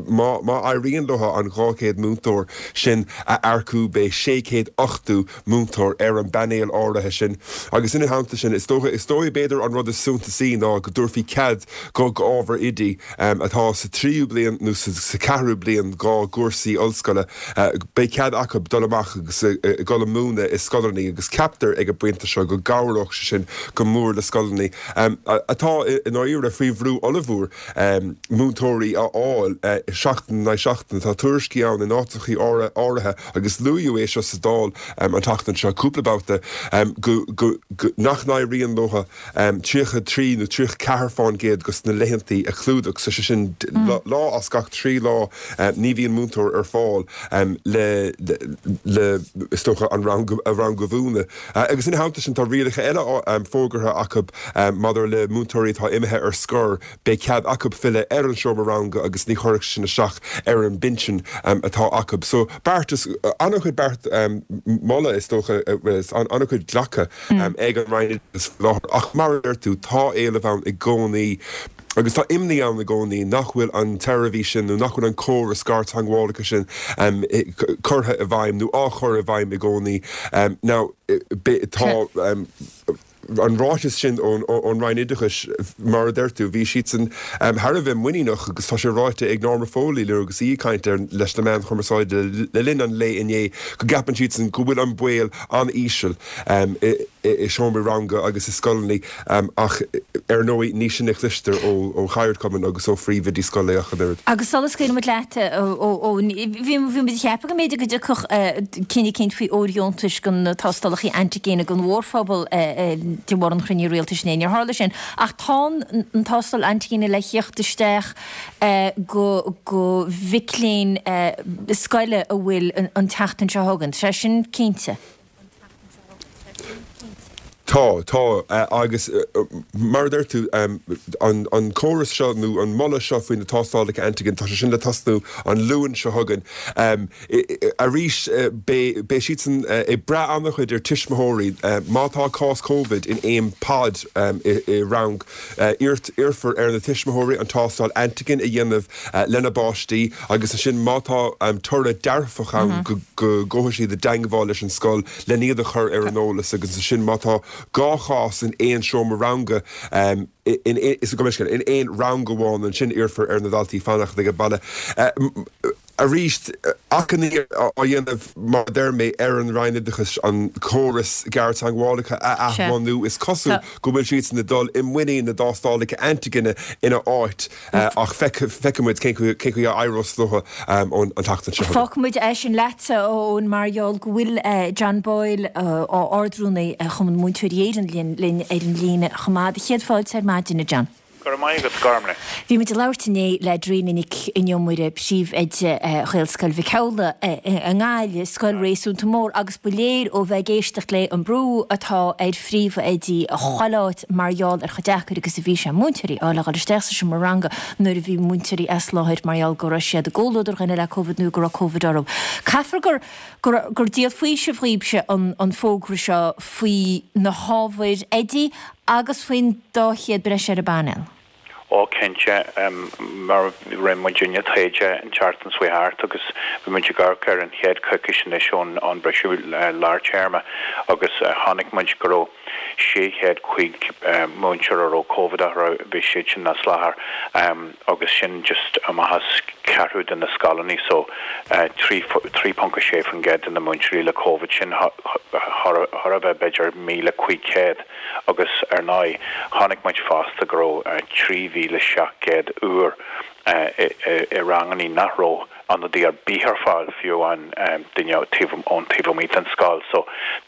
Speaker 6: Má má éiríonn leo an dhá chéad múinteoir sin a earcú beidh sé chéad ochtó múinteoir ar an bpainéal áirithe sin agus ina theannta sin is dócha, is dóigh b'fhéidir an rud is suntasaí ná go dtabharfaí cead go ábhar oidí atá sa tríú bliain nó sa ceathrú bliain dá gcúrsaí ollscoile, beidh cead acu dul amach agus dul ag múineadh i scoileanna agus ceaptar ag an bpointe seo go gcabhródh sé sin go mór le scoileanna atá i ndáiríre faoi bhrú ollmhór múinteoirí a fháil seachtain in aghaidh seachtaine. Tá tuairiscí ann in áiteachaí áirithe agus luadh é seo sa Dáil an tseachtain seo cúpla babhta go nach n-éiríonn leo tríocha trí nó tríocha ceathair fán gcéad dos na laethantaí a chlúdach, so sé sin lá as gach trí lá ní bhíonn múinteoir ar fáil le le is dócha an rang a rang a mhúineadh. Agus ina theannta sin tá rialacha eile fógartha acu maidir le múinteoirí atá imithe ar scor, beidh cead acu filleadh ar an seomra ranga agus ní chuirfeadh sin isteach ar an bpinsean atá acu. So beartas, an-chuid beart, moladh is dócha, an-chuid glactha ag an Roinn Oideachais faoi láthair ach mar a deir tú, tá éileamh ann i gcónaí agus tá imní ann i gcónaí nach bhfuil an tseirbhís sin nó nach bhfuil an córas garteagmhálacha sin curtha i bhfeidhm nó á chur i bhfeidhm i gcónaí. Now tá an ráiteas sin ón Roinn Oideachais, mar a deir tú, bhí siadsan thar a bheith muiníneach agus tá sé ráite ag Norma Foley nuair agus í ag caint leis na meáin chumarsáide le linn an lae inné go gceapann siadsan go bhfuil an baol an-íseal i seomraí ranga agus i scoileanna ach ar ndóigh ní sin a chloistear ó cheardchumainn agus ó phríomhoidí scoile ach an oiread.
Speaker 1: Agus sula scaoilimid leat, Eoin, bhí muid ag ceapadh go mb'fhéidir go dtiocfadh cinneadh eicínt faoi fhóirdheontais do na tástálacha antigine don mhórphobal de bharr an chruinnithe rialtais inné. Níor tharla sin. Ach tá an tástáil antigine le theacht isteach go go mhic léinn scoile a bhfuil an tseachtain seo chugainn. Tá sé sin cinnte.
Speaker 6: Tá, tá. Agus mar a deir tú, an córas seo nó an moladh seo faoi na tástálacha antigen, tá sé sin le tosnú an Luan seo chugainn. Arís, beidh siadsan ag brath an-chuid ar tuismitheoirí. Má tá cás Covid in aon pod i rang, iarrfar ar na tuismitheoirí an tástáil antigen a dhéanamh lena bpáistí agus ansin má tá toradh dearfach ann go gabhfaidh siad i dteangmháil leis an scoil len iad a chur ar an eolas agus ansin má tá dhá chás in aon seomra ranga in in aon rang amháin ansin iarrfar ar na daltaí fanacht ag baile. Arís, achainí á dhéanamh, mar a deir mé, ar an Roinn Oideachais an córas garteagmhálacha a athbhunú. Is cosúil go bhfuil siadsan ag dul i muinín na dtástálacha antigine ina áit ach feicfidh muid cén chaoi a éireos leo an tseachtain seo chugainn.
Speaker 1: Fágfaidh muid é sin leatsa, a Eoin, mar gheall go bhfuil John Boyle, Ard-Rúnaí Chumann Múinteoirí Éireann, linn ar an líne chomh maith. Céad fáilte ar maidin, a John.
Speaker 7: Go raibh maith agat, Gormlaith.
Speaker 1: Bhí muid ag labhairt inné le Dríona Nic an Iomaire, príomhoide Ghaelscoil Mhic Amhlaigh i nGaillimh, scoil réasúnta mór, agus ba léir ó bheith ag éisteacht léi an brú atá ar phríomhoidí chuile áit mar gheall ar chomh deacair agus a bhí sé múinteoirí a fháil a dhul isteach sa seomra ranga nuair a bhí múinteoirí as láthair mar gheall go raibh siad i gcomhluadar dhuine le Covid nó go raibh Covid orthu. Caithfear gur gur díol faoisimh dhaoibhse an fógra seo faoi na hábhair oidí agus faoin dá chéad breise ar an bpainéal.
Speaker 7: Ó, cinnte, mar rinne muidinne taighde an tseachtain seo thart agus bhí muid ag amharc ar an chéad choicís anois ón ón briseadh lár téarma agus chonaic muid go raibh sé chéad cúig múinteoir a raibh Covid orthu, bhí siad sin as láthair agus sin just amach as ceathrú de na scoileanna so trí trí ponc a sé faoin gcéad de na múinteoirí le Covid, sin chóir a bheith b'fhéidir míle cúig chéad. Agus ar ndóigh, chonaic muid fosta go raibh trí mhíle seacht gcéad uair i ranganna nach raibh ionadaí ar bith ar fáil fiú an duine taobh ón taobh amuigh den scoil so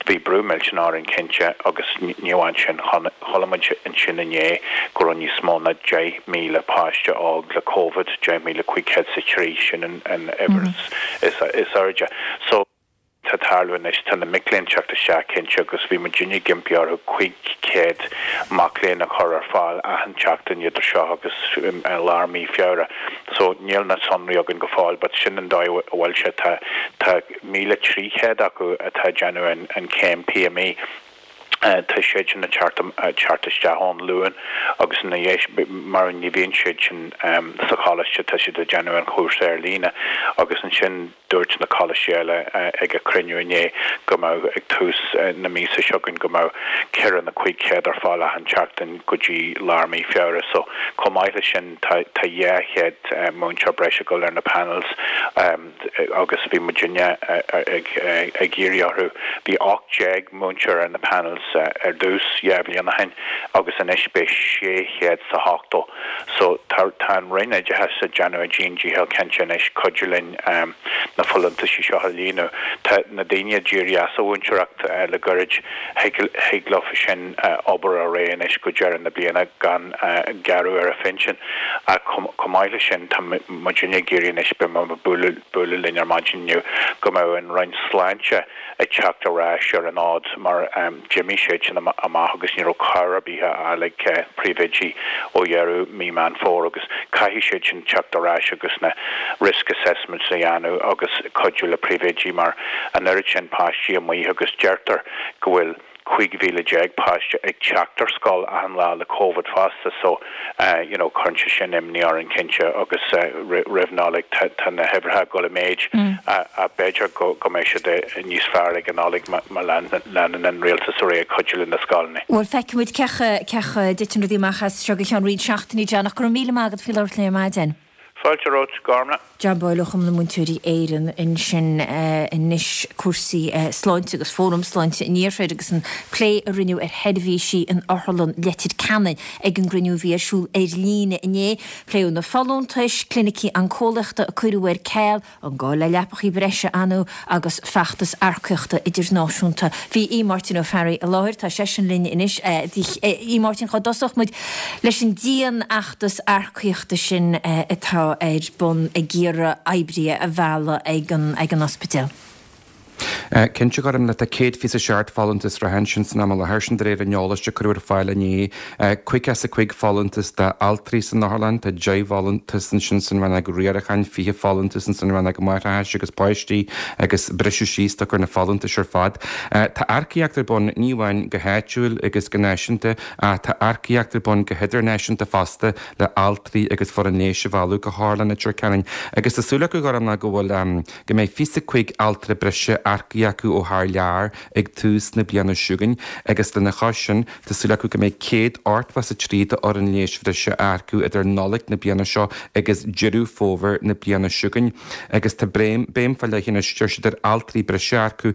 Speaker 7: bhí brú millteanach orainn cinnte agus ní amháin sin chuala muid ansin inné go raibh níos mó ná deich míle páiste óg le Covid, deich míle cúig chéad is a trí sin an uimhir is airde. So tá tarlú anois tá na mic léinn teacht isteach cinnte agus bhí muidinne ag impí orthu cúig chéad mac léinn a chur ar fáil achan tseachtain idir seo agus lár mí Feabhra. So níl na sonraí againn go fóill but sin an dóigh a bhfuil sé tá tá míle trí chéad acu atá ag déanamh an an céim PME. Tá siad sin ag teacht teacht isteach ón Luan agus ina dhiaidh mar ní bhíonn siad sin sa choláiste tá siad ag déanamh an chúrsa ar líne agus ansin dúirt na coláistí eile ag a cruinniú inné go mbeadh ag tús na míosa seo chugainn go mbeadh ceithre nó cúig chéad ar fáil achan tseachtain go dtí lár mí Feabhra so chomh maith leis sin tá tá dhá chéad múinteoir breise ag dul ar na panels agus bhí muidinne ag ag iarraidh orthu bhí ocht déag múinteoir ar na panels ar dtús dhá bhliain ó shin agus anois beidh sé chéad is a hochtó. So tá tá an Roinn Oideachais ag déanamh a dian-dícheall cinnte anois cuidiú linn na folúntaisí seo a líonadh. Tá na daoine a d'éirigh as an mhúinteoireacht le gairid, thig thig leo sin obair ar aghaidh anois go deireadh na bliana gan gearradh ar a phinsean. Ach chomh maith leis sin tá muidinne ag iarraidh anois, beidh mé ag bualadh bualadh linn ar maidin inniu, go mbeadh an Roinn Sláinte ag teacht ar ais ar an fhód mar d'imigh siad sin amach agus ní raibh cabhair ar bith á fháil ag príomhoidí ó dheireadh mí Meán Fómhair agus caithfidh siad sin teacht ar ais agus na risk assessments a dhéanamh agus cuidiú le príomhoidí mar an oiread sin páistí amuigh agus deirtear go bhfuil cúig mhíle déag páiste ag teacht ar scoil achan lá le Covid fosta so you know cuireann sé sin imní orainn cinnte agus roimh Nollaig tá tá na huimhreacha ag dul i méid ach b'fhéidir go go mbeidh siad níos fearr ag an Nollaig má leanann an rialtas ar aghaidh ag cuidiú le na scoileanna.
Speaker 1: Bhuel feicfidh muid cé cé chaoi a dtiteann rudaí amach as seo go ceann roinnt seachtainí John ach go raibh míle maith agat faoi labhairt linn ar maidin.
Speaker 7: Fáilte romhat, Gormlaith.
Speaker 1: John Boyle ó Chumann na Múinteoirí Éireann ansin anois cúrsaí sláinte agus Fóram Sláinte an Iarthair agus an plé a rinneadh ar sheirbhísí in Otharlann Leitir Ceanainn ag an gcruinniú a bhí ar siúl ar líne inné. Pléadh na folúntais, clinicí oncólaíochta a cuireadh ar ceal, an gá le leapachaí breise ann agus feachtas earcaíochta idirnáisiúnta. Bhí Aodh Máirtín Ó Fearraigh i láthair, tá seisean linn anois. Aodh Máirtín, cá dtosódh muid leis an dianfheachtas earcaíochta sin atá ar bun ag iarraidh oibrithe a mhealladh ag an ag an ospidéal?
Speaker 3: Cinnte, a Ghormfhlaith, tá céad fiche a seacht folúntas reatha ansin san am i láthair, sin de réir an eolais a cuireadh ar fáil inné. Caoga is a cúig folúntas d'altraí san otharlann, tá deich bhfolúntas ansin san rannóg riaracháin, fiche folúntas san rannóg máithreachais agus páistí agus briseadh síos tugtar na folúntais ar fad. Tá earcaíocht ar bun ní amháin go háitiúil agus go náisiúnta ach tá earcaíocht ar bun go hidirnáisiúnta fosta le altraí agus foireann leighis a mhealladh go hOtharlann Leitir Ceanainn agus tá súil acu, a Ghormfhlaith, go bhfuil go mbeidh fiche cúig altra breise earcaithe acu ó thar lear ag tús na bliana seo chugainn agus lena chois sin tá súil acu go mbeidh céad ochtó is a trí d'fhoireann leighis bhreise á earcú idir Nollaig na bliana seo agus Deireadh Fómhair na bliana seo chugainn agus tá béim faoi leith anois, deir siad, ar altraí breise a earcú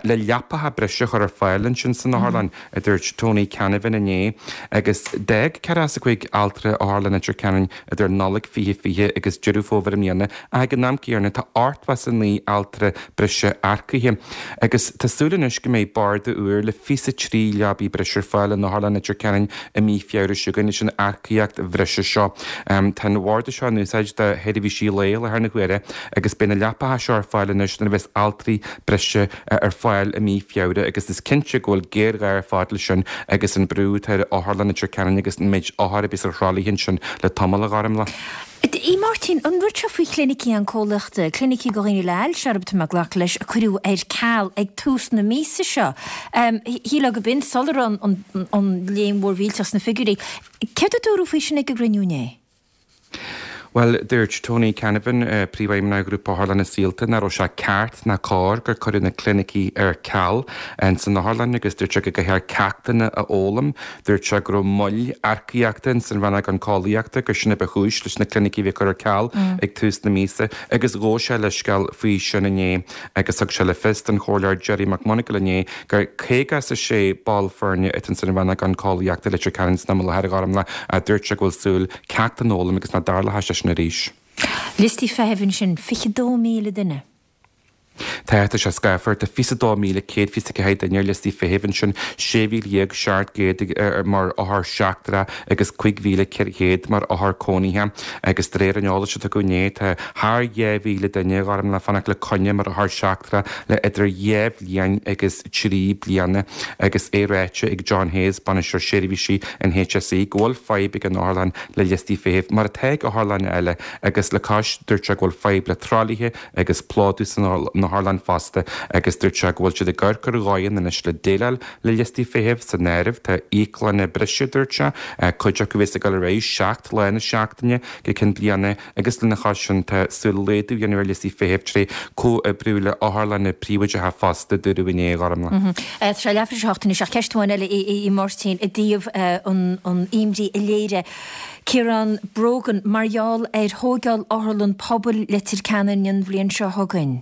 Speaker 3: le leapacha breise a chur ar fáil ansin san otharlann, a dúirt Tony Canavan inné. Agus d'fhág ceathracha is a cúig altra Otharlann Leitir Ceanainn idir Nollaig fiche fiche agus Deireadh Fómhair i mbliana ach ag an am céanna tá ochtó is a naoi altra breise earcaithe agus tá súil anois go mbeidh barda úr le fiche trí leabaí breise ar fáil in Otharlann Leitir Ceanainn i mí Feabhra seo chugainn leis an earcaíocht bhreise seo. Tá an bharda seo in úsáid do sheirbhísí lae i láthair na huaire agus beidh na leapacha seo ar fáil anois nuair a bheas altraí breise ar fáil i mí Feabhra agus is cinnte go bhfuil géarghá ar fad leis sin agus an brú atá ar Otharlann Leitir Ceanainn agus an méid othar a bhí ar thralaithe ansin le tamall, a Ghormfhlaith.
Speaker 1: A Mháirtín, an rud seo faoi chlinicí oncólaíochta, clinicí do dhaoine le hailse, arb tá mé ag glacadh leis, a cuireadh ar ceal ag tús na míosa seo. Shílfeá go b'in sula raibh an léim mhór mhillteach sna figiúirí. Céard a dúradh faoi sin ag an gcruinniú inné?
Speaker 3: Bhuel, dúirt Tony Canavan, Príomhfheidhmeannach Ghrúpa Otharlanna Saolta, nach raibh sé ceart ná cóir gur cuireadh na clinicí ar ceal san otharlann agus dúirt sé go gcaithfear ceachtanna a fhoghlaim. Dúirt sé go raibh moill earcaíochta ins an rannóg oncólaíochta, gur sin a ba chúis leis na clinicí a bheith curtha ar ceal ag tús na míosa agus ghabh sé leithscéal faoi sin inné agus thug sé le fios don Chomhairleoir Gerry McMonagall inné gur caoga is a sé ball foirne atá ins an rannóg oncólaíochta i Leitir Ceanainn san am i láthair, a Ghormfhlaith. Dúirt sé go bhfuil súil ceachtanna a fhoghlaim agus nach dtarlóidh sé sin arís.
Speaker 1: Liostaí feithimh ansin, fiche dó míle duine.
Speaker 3: Tá, tá sé scáfar, tá fiche dó míle céad fiche ceathair duine ar liostaí feithimh ansin, sé mhíle dhéag seacht gcéad mar othar seachtrach agus cúig mhíle ceithre chéad mar othar cónaithe. Agus de réir an eolais a tugadh inné, tá thar dhá mhíle duine a Ghormfhlaith le fanacht le coinne mar othar seachtrach le idir dhá bhliain agus trí bliana. Agus é ráite ag John Hayes, Bainisteoir Seirbhísí an HSE, go bhfuil fadhb ag an otharlann le liostaí feithimh, mar atá ag otharlanna eile, agus le cois dúirt sé go bhfuil fadhb le tralaithe agus plódú san otharlann fosta agus dúirt sé go bhfuil siad ag amharc ar dhóigheanna anois le déileáil le liostaí feithimh san áireamh. Tá íoclanna breise, dúirt sé, cuid acu a bheas ag dul ar aghaidh seacht lá na seachtaine go ceann bliana agus lena chois sin tá súil laghdú a dhéanamh ar liostaí feithimh tré comhoibriú le otharlanna príobháideacha fosta, dúradh inné, a Ghormfhlaith.
Speaker 1: Tá sé leathuair tar éis a hocht anois ach ceist amháin eile a Mháirtín i dtaobh an imní a léirigh Ciarán Brogan mar gheall ar thóigeáil Otharlann Pobail Leitir Ceanainn an bhliain seo chugainn,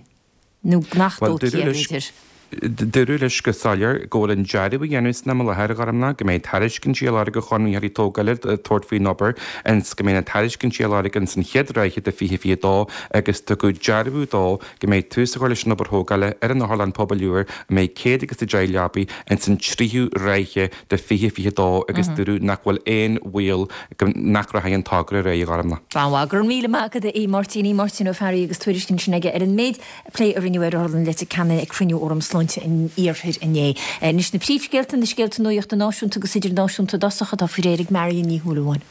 Speaker 1: nó nach dtógfaí é, b'fhéidir.
Speaker 3: Dúradh leis go soiléir go bhfuil an dearadh á dhéanamh san am i láthair, a Ghormfhlaith, go mbeidh tairiscintí á lorg ó chonraitheoirí tógála tabhairt faoin obair ins go mbeidh na tairiscintí á lorg ins an chéad ráithe de fiche fiche dó agus tugadh dearbhú dó go mbeidh tús á chur leis an obair thógála ar an Otharlann Pobail úr a mbeidh céad agus a deich leabaí ins an tríú ráithe de fiche fiche dó agus dúradh nach bhfuil aon bhaol go nach rachaidh an togra ar aghaidh, a Ghormfhlaith.
Speaker 1: Go raibh míle maith agat, a Mháirtín, Máirtín Ó Fearraigh agus tuairisc ansin aige ar an méid plé a rinneadh ar Otharlann Leitir Ceanainn ag cruinniú Fhóram Sláinte an Iarthair inné. Anois na príomhscéalta, na scéalta nuachta náisiúnta agus idirnáisiúnta i dtosach atá faoi réir ag Marion Ní Shúilleabháin.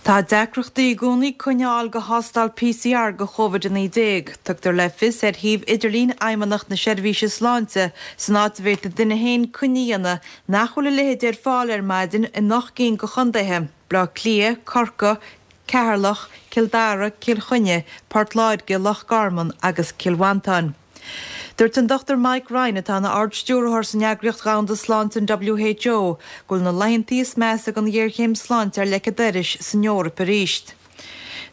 Speaker 2: Tá deacrachtaí i gcónaí coinne a fháil do thástáil PCR do Chóivid a naoi déag. Tugtar le fios ar shuíomh idirlín Fheidhmeannacht na Seirbhíse Sláinte san áit a bhféadfaidh duine féin coinne a dhéanamh nach bhfuil a leithéid ar fáil ar maidin in ocht gcinn de chontaetha, Baile Átha Cliath, Corcaigh, Ceatharlach, Cill Dara, Cill Chainnigh, Port Láirge, Loch Garman agus Cill Mhantáin. Dúirt an Dochtúir Mike Ryan, atá ina Ard-Stiúrthóir san Eagraíocht Dhomhanda Sláinte, an WHO, go bhfuil na laethantaí is measa den ghéarchéim sláinte ar leic an dorais san Eoraip arís.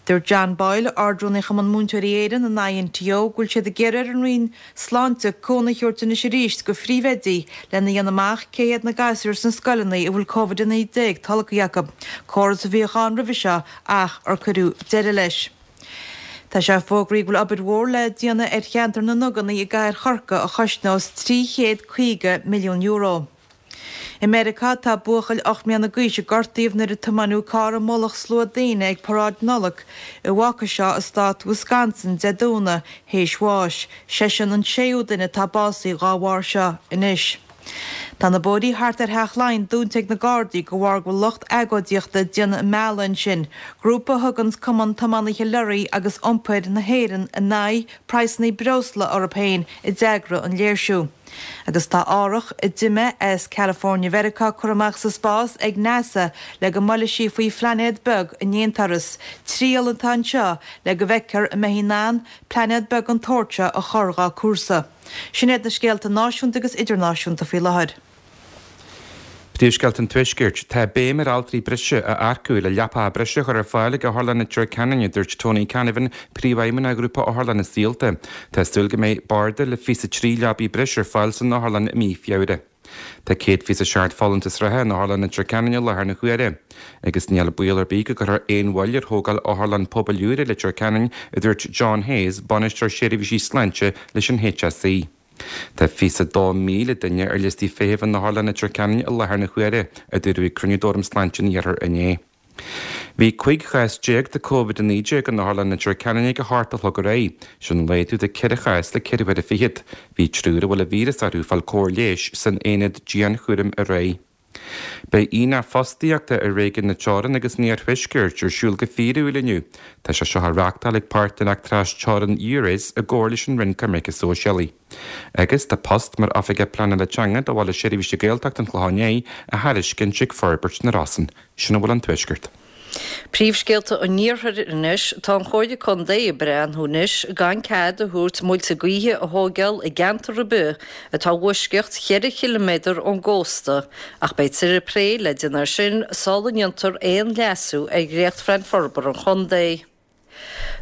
Speaker 2: Dúirt John Boyle, Ard-Rúnaí Chumann Múinteoirí Éireann, an INTO, go bhfuil siad ag iarraidh ar an Roinn Sláinte cúnamh a thabhairt anois arís do phríomhoidí lena dhéanamh amach cé hiad na gasúir sna scoileanna a bhfuil Covid a naoi déag tolgtha acu, córas a bhíodh ann roimhe seo ach ar cuireadh deireadh leis. Tá sé fógraithe go bhfuil obair mhór le déanamh ar cheantar na nDuganna i gcathair Chorcaí a chosnós trí chéad caoga milliún euro. I Meiriceá, tá buachaill ocht mbliana d'aois a gortaíodh nuair a tiomáineadh carr i mullach slua daoine ag paráid Nollag i Waukesha i stát Wisconsin Dé Domhnaigh théis bháis. Seisean an séú duine atá básaithe dhá bharr seo anois. Tá na bóithrí thart ar Theach Laighean dúnta ag na Gardaí de bharr go bhfuil lucht agóidíochta ag déanamh a mbealaigh ansin, grúpa a thuganns Cumann Tiománaithe Leoraí agus Iompair na hÉireann in aghaidh praghsanna breosla orthu féin a d'eagraigh an léirsiú. Agus tá árthach a d'imigh as California Mheiriceá curtha amach sa spás ag NASA le go mbuailfidh sí faoi phlainéad beag in aon turas. Triail atá anseo le go bhfeicfear an mbeidh í in ann plainéad beag den tsórt seo a chur dhá cúrsa. Sin iad na scéalta náisiúnta agus idirnáisiúnta faoi láthair.
Speaker 3: Príomhscéalta an Tuaiscirt. Tá béim ar altraí breise a earcú le leapacha breise a chur ar fáil ag Otharlann Leitir Ceanainn, a dúirt Tony Canavan, Príomhfheidhmeannach Ghrúpa Otharlanna Saolta. Tá súil go mbeidh barda le fiche a trí leabaí breise ar fáil san otharlann i mí Feabhra. Tá céad fiche a seacht folúntas reatha in Otharlann Leitir Ceanainn i láthair na huaire. Agus níl baol ar bith go gcuirfear aon mhoill ar thógáil Otharlann Pobail úr i Leitir Ceanainn, a dúirt John Hayes, Bainisteoir Seirbhísí Sláinte leis an HSE. Tá fiche a dó míle duine ar liostaí feithimh in Otharlann Leitir Ceanainn i láthair na huaire, a dúradh ag cruinniú d'Fhóram Sláinte an Iarthair inné. Bhí cúig chás déag de Covid a naoi déag in Otharlann Leitir Ceanainn ag a hocht a chlog aréir. Sin laghdú de ceithre chás le ceithre huaire fichead. Bhí triúr a bhfuil an víreas orthu ag fáil cóir leighis san aonad dianchúraim aréir. Beidh aonach fostaíochta i réigiún na Teorann agus an Iarthuaiscirt ar siúl go fíorúil inniu. Tá sé seo á reáchtáil ag páirtnéireacht trasteorann Eures i gcomhar leis an Roinn Coimirce Sóisialaí. Agus tá post mar Oifigeach Pleanála Teanga do Bhaile Seirbhíse Gaeltachta an Chlocháin Léith á thairiscint ag Forbairt na Rosann. Sin a bhfuil ón Tuaisceart.
Speaker 4: Príomhscéalta an Iarthair anois, Tá an Chomhairle Contae ag breathnú anois gan cead a thabhairt muilte gaoithe a thóigeáil i gceantar ar bith atá i bhfoisceacht cheithre chiliméadar ón gcósta ach beidh tuilleadh plé le déanamh air sin sula ndéantar aon leasú ar dhréachtphlean forbartha an chontae.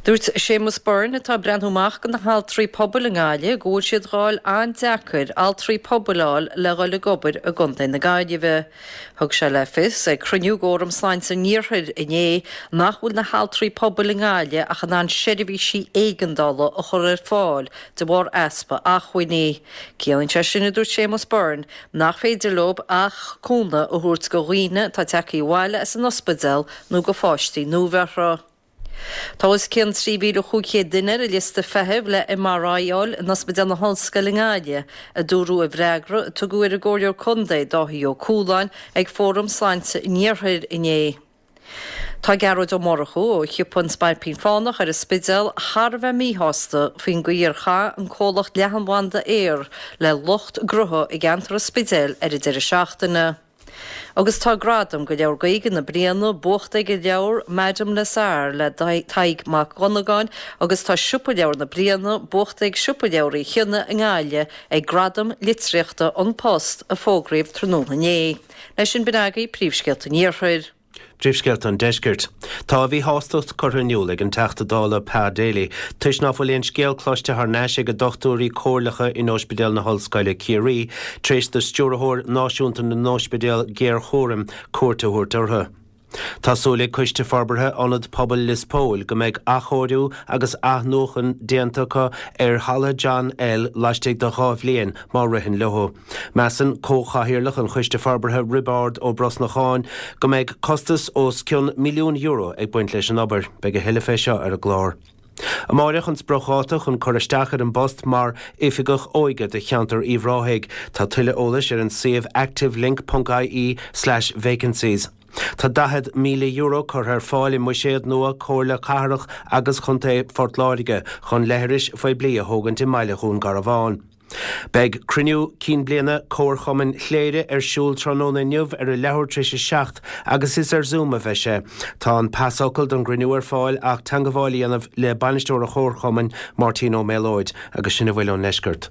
Speaker 4: Dúirt Séamus Byrne atá ag breathnú amach do na haltraí pobail i nGaillimh go bhfuil siad dh'fháil an-deacair altraí pobail a fháil le dhul ag obair i gContae na Gaillimhe. Thug sé le fios ag cruinniú d'Fhóram Sláinte an Iarthair inné nach bhfuil na haltraí pobail i nGaillimh ach in ann seirbhísí éigeandála a chur ar fáil de bharr easpa acmhainní. Ciallaíonn sé sin, a dúirt Séamus Byrne, nach féidir leo ach cúnamh a thabhairt do dhaoine atá tagtha abhaile as an ospidéal nó do pháistí nuabheirthe. Tá os cionn trí mhíle chúig chéad duine ar an liosta feithimh le M R I a fháil in Ospidéal na hOllscoile i nGaillimh, a dúradh i bhfreagra a tugadh ar an gComhairleoir Contae Dáithí Ó Cualáin ag Fóram Sláinte an Iarthair inné. Tá Gearóid Ó Murchú ó shiopa an Spailpín Fánach ar an Spidéal thar a bheith míshásta faoin gcaoi ar chaith an comhlacht leathanbhanda Eir le lucht gnótha i gceantar an Spidéil ar an deireadh seachtaine. Agus tá gradam do Leabhar Gaeilge na Bliana buachta ag an leabhar Madame Lazare le Tadhg Mac Dhonnagáin agus tá Siopa Leabhar na Bliana buachta ag Siopa Leabhar Uí Chionnaith i nGaillimh ag Gradaim Litríochta An Post a fógraíodh tráthnóna inné. Leis sin b'in agaibh príomhscéalta an Iarthair.
Speaker 5: Príomhscéalta an Deiscirt. Tá a mhíshástacht curtha in iúl ag an Teachta Dála Pa Daly toisc ná fuil aon scéal cloiste thar n-ais ag a dochtúirí comhairleacha in Ospidéal na hOllscoile Ciarraí tar éis do Stiúrthóir Náisiúnta na nOspidéal Géarchúraim cuairt a thabhairt orthu. Tá súil ag Coiste Forbartha Ionad Pobail Lios Póil go mbeidh athchóiriú agus athnuachan déanta acu ar Halla John L laistigh de dhá bhliain má ritheann leo. Measann comhchathaoirleach an Choiste Forbartha Roibeárd Ó Brosnacháin go mbeidh costas os cionn milliún euro ag baint leis an obair. Beidh a thuilleadh fé seo ar an gclár. Amáireach an spriocdháta chun cur isteach ar an bpost mar oifigeach óige do cheantar Uíbh Ráthaigh. Tá tuilleadh eolais ar an suíomh activelink ponc I E slash vacancies. Tá daichead míle euro curtha ar fáil i mbuiséad nua Comhairle Cathrach agus Chontae Phort Láirge chun leithris phoiblí a thógaint i mbaile Dhún Garbhán. Beidh cruinniú cinn bliana Comharchumann Chléire ar siúl tráthnóna inniu ar a leathuair tar éis a seacht agus is ar Zoom a bheidh sé. Tá an pasfhocal don gcruinniú ar fáil ach teagmháil a dhéanamh le bainisteoir an Chomharchumainn Máirtín Ó Méalóid agus sin a bhfuil ón ndeisceart.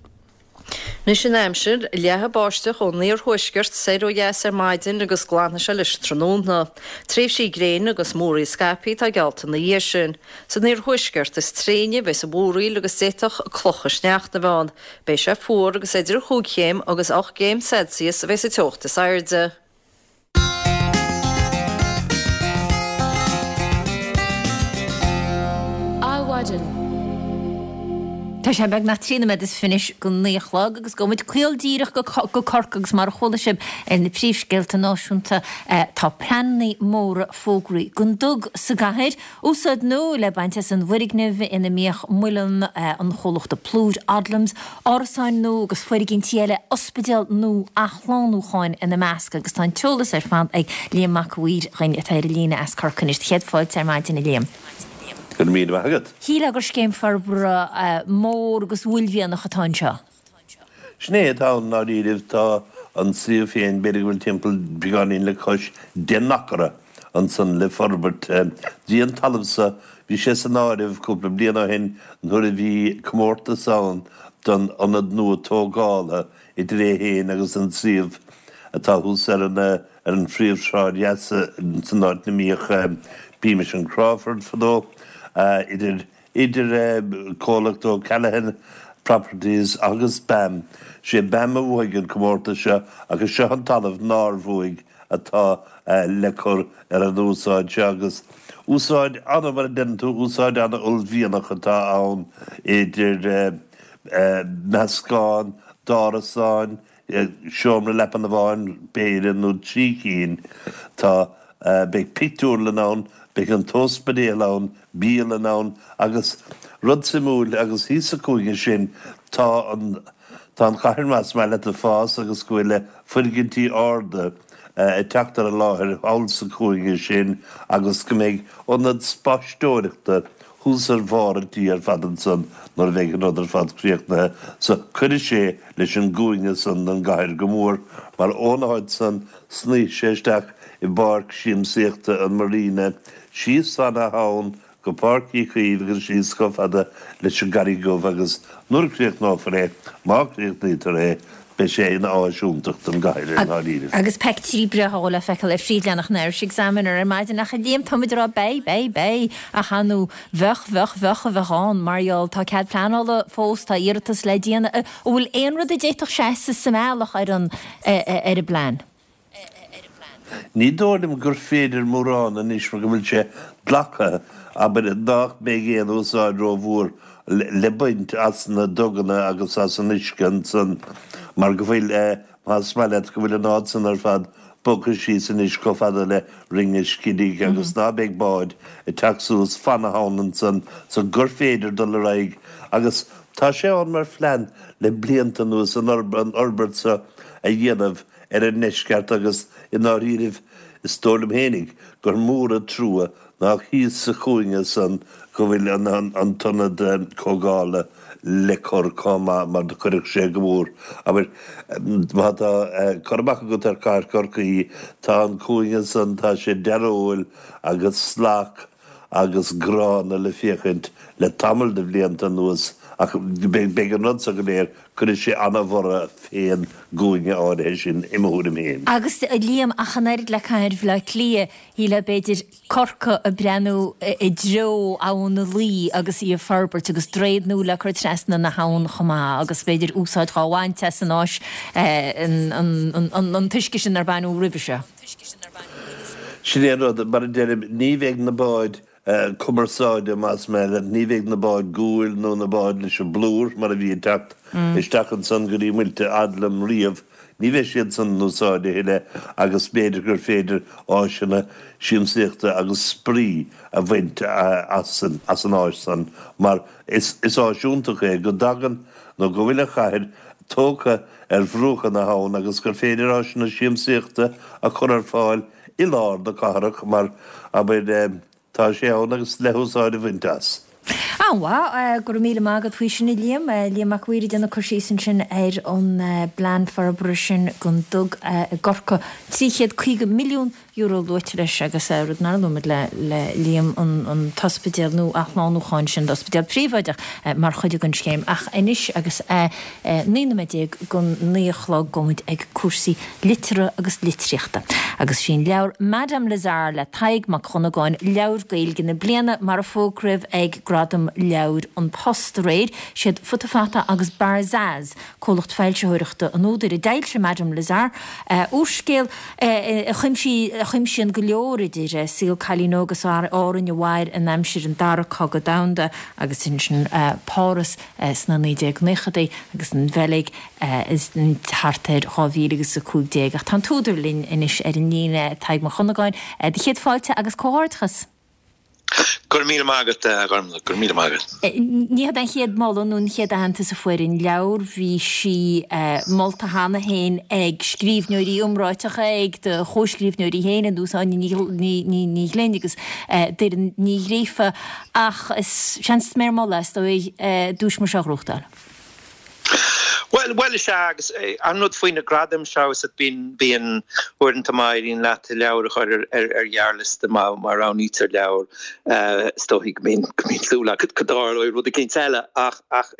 Speaker 4: Anois an aimsir, leathfaidh báisteach ón iarthuaisceart soir ó dheas ar maidin agus glanfaidh sé leis tráthnóna. Tréimhsí gréine agus múraíl scaipthe atá geallta ina dhiaidh sin. San iarthuaisceart is tréine a bheas an mhúraíl agus d'fhéadfadh clocha sneachta a bheith ann. Beidh sé fuar agus idir chúig chéim agus ocht gcéim Celsius a bheas an teocht is airde.
Speaker 1: Adhmhaidin. Tá sé beagnach trí nóiméad is fiche anois go naoi a chlog agus gabhfaidh muid caol díreach go go Corcaigh agus mar a chuala sibh ar na príomhscéalta náisiúnta tá pleananna móra fógraithe don dug sa gcathair. Úsáid nua le baint as an bhfoirgneamh ina mbíodh muileann an chomhlachta plúir Odlums, árasáin nua agus foirgintí eile, ospidéal nua athshlánúcháin ina measc agus tá an t-eolas ar fad ag Liam Mac a' Mhaoir dhuinn atá ar an líne as Corcaigh anois. Céad fáilte ar maidin a Liam.
Speaker 8: Go raibh míle maith agat.
Speaker 1: Shílfeá gur scéim forbartha mór agus uaillmhianach atá anseo.
Speaker 8: Sin é atá ann i ndáiríribh. Tá an suíomh féin, b'fhéidir go bhfuil timpeall beagáinín le cois deich n-acra ansan le forbairt. Bhí an talamh so, bhí sé san áireamh cúpla bliain ó shin nuair a bhí comórtas ann don ionad nua tógála idir é féin agus an suíomh atá thuas ar an ar an phríomhshráid dheas san áit 'na mbíodh Beamish and Crawford fadó, idir idir comhlacht O'Callaghan Properties agus BAM. Sé BAM a bhuaigh an comórtas seo agus seo an talamh nár bhuaigh atá le cur ar an úsáid seo agus úsáid ana, mar a deireann tú, úsáid ana-uaillmhianach atá ann idir meascán d'árasáin, seomra leapan amháin, b'fhéidir, nó trí cinn. Tá, beidh pictiúrlann ann, beidh an t-ospidéal ann, bialann ann agus rud suimiúil agus thíos sa chúinne sin tá an, tá an chathair más maith leat ag fás agus go bhfuil foirgintí arda ag teacht ar an láthair thall sa chúinne sin agus go mbeidh ionad spaisteoireachta thuas ar bharr an tí ar fad ansan nuair a bheidh an rud ar fad críochnaithe so cuirfidh sé leis an gcúinne san den gcathair go mór mar ón áit san snoífidh sé isteach i bpáirc siamsaíochta an Marina síos fan an abhainn go Páirc Uí Chaoimh agus síos chomh fada leis an gCarraig Dhubh agus nuair a chríochnófar é, má chríochnaítear é, beidh sé ina áis iontach don gcathair i ndáiríribh.
Speaker 1: Agus peictiúirí breátha le feiceáil ar phríomhleathanach an Irish Examiner ar maidin ach a Liam, táimid ag rá beidh, beidh, beidh, ach ar ndóigh bheadh, bheadh, bheadh a bheadh ann mar gheall tá cead pleanála fós, tá iarratas le déanamh. An bhfuil aon rud a d'fhéadfadh seasamh sa mbealach ar an ar an bplean?
Speaker 8: Ní dóigh liom gur féidir mórán anois mar go bhfuil sé glactha, abair, nach mbeidh aon úsáid rómhór le baint as na duganna agus as an uisce ansan mar go bhfuil, más maith leat, go bhfuil an áit san ar fad bogtha síos anois chomh fada le Rinn an Scidígh agus ná beidh báid ag teacht suas fan na habhann ansan so gur féidir dul ar aghaidh agus tá sé ann mar phlean le blianta anuas an fhorbairt so a dhéanamh ar an ndeisceart agus i ndáiríribh is dóigh liom fhéinig gur mór an trua nach thíos sa chúinne san go bhfuil an t-ionad comhdhála le cur chomh maith mar do chuirfeadh sé go mór. Abair, má tá cur amach agat ar chathair Chorcaí, tá an cúinne san, tá sé dearóil agus salach agus gránna le féachaint le tamall de bhlianta anuas ach beidh an rud so go léir, cuirfidh sé ana-bhorradh fén gcúinne áirithe sin, i mo thuairim féin.
Speaker 1: Agus, a Liam, ach an oiread le cathair Bhaile Átha Cliath, shílfeá b'fhéidir Corcaigh ag breathnú i dtreo Abhainn na Laoi agus í a forbairt agus droichead nua le cur trasna na habhann chomh maith agus b'fhéidir úsáid dhá bhaint as an áis, an t-uisce sin nár baineadh roimhe seo.
Speaker 8: Sin é an rud, mar a deirim, ní bheidh na báid cumarsáide, más maith leat, ní bheidh na báid guail nó na báid leis an bplúr mar a bhí ag teacht isteach ansan go dtí muilte Adlam riamh, ní bheidh siad san in úsáid a thuilleadh agus b'fhéidir gur féidir áiseanna siamsaíochta agus spraoi a bhaint as an áis san mar is áis iontach é go dtagann nó go bhfuil an chathair tógtha ar bhruacha na habhann agus gur féidir áiseanna siamsaíochta a chur ar fáil i lár na cathrach mar, abair, tá sé ann agus le húsáid a bhaint as.
Speaker 1: An-mhaith. Go raibh míle maith agat faoi sin, a Liam. Liam Mac Mhaoir ag déanamh cur síos ansin ar an bplean forbartha sin don dug i gCorcaigh. Trí chéad caoga milliún euro luaite leis agus rud nár luaigh muid le Liam, an t-ospidéal nua athshlánúcháin sin d'ospidéal príobháideach mar chuid den scéim. Ach anois agus é naoi nóiméad déag go naoi a chlog gabhfaidh muid ag cúrsaí liteartha agus litríochta. Agus sí an leabhar Madame Lazare le Tadhg Mac Dhonnagáin leabhar Gaeilge na bliana mar a fógraíodh ag Gradaim Leabhair An Post aréir. Siad Futa Fata agus Barzaz, comhlacht foilsitheoireachta an údair, a d'fhoilsigh Madame Lazare, úrscéal a chuimsíonn go leor idir saol cailín óg as Árainn a mhair in aimsir an Dara Cogadh Domhanda agus ansin Páras sna naoi déag naochadaí agus an Bheilg thart ar dhá mhíle agus a cúig déag. Ach tá an t-údar linn anois ar an líne, Tadhg Mac Dhonnagáin. Do chéad fáilte agus comhghairdeachas!
Speaker 9: Go raibh míle maith agat, a Ghormlaith, go raibh míle maith agat.
Speaker 1: Ní hiod é an chéad moladh nó an chéad aitheantas a fuair an leabhar, bhí sí molta cheana féin ag scríbhneoirí iomráiteacha, ag do chomhscríbhneoirí féin, ar nós Áine Ní Ghlinn agus Doireann Ní Ghríofa, ach is seans is mór moladh, is dóigh, duais mar seo a ghnóthachtáil.
Speaker 9: Bhuel, bhuel is ea, agus an rud faoi na gradaim seo is bíonn, bíonn uaireanta má éiríonn leat leabhar a chur ar, ar, ar ghearrliosta má, má roghnaítear leabhar, is dóigh go mbíonn, go mbíonn súil agat go dtarlóidh rud eicínt eile ach, ach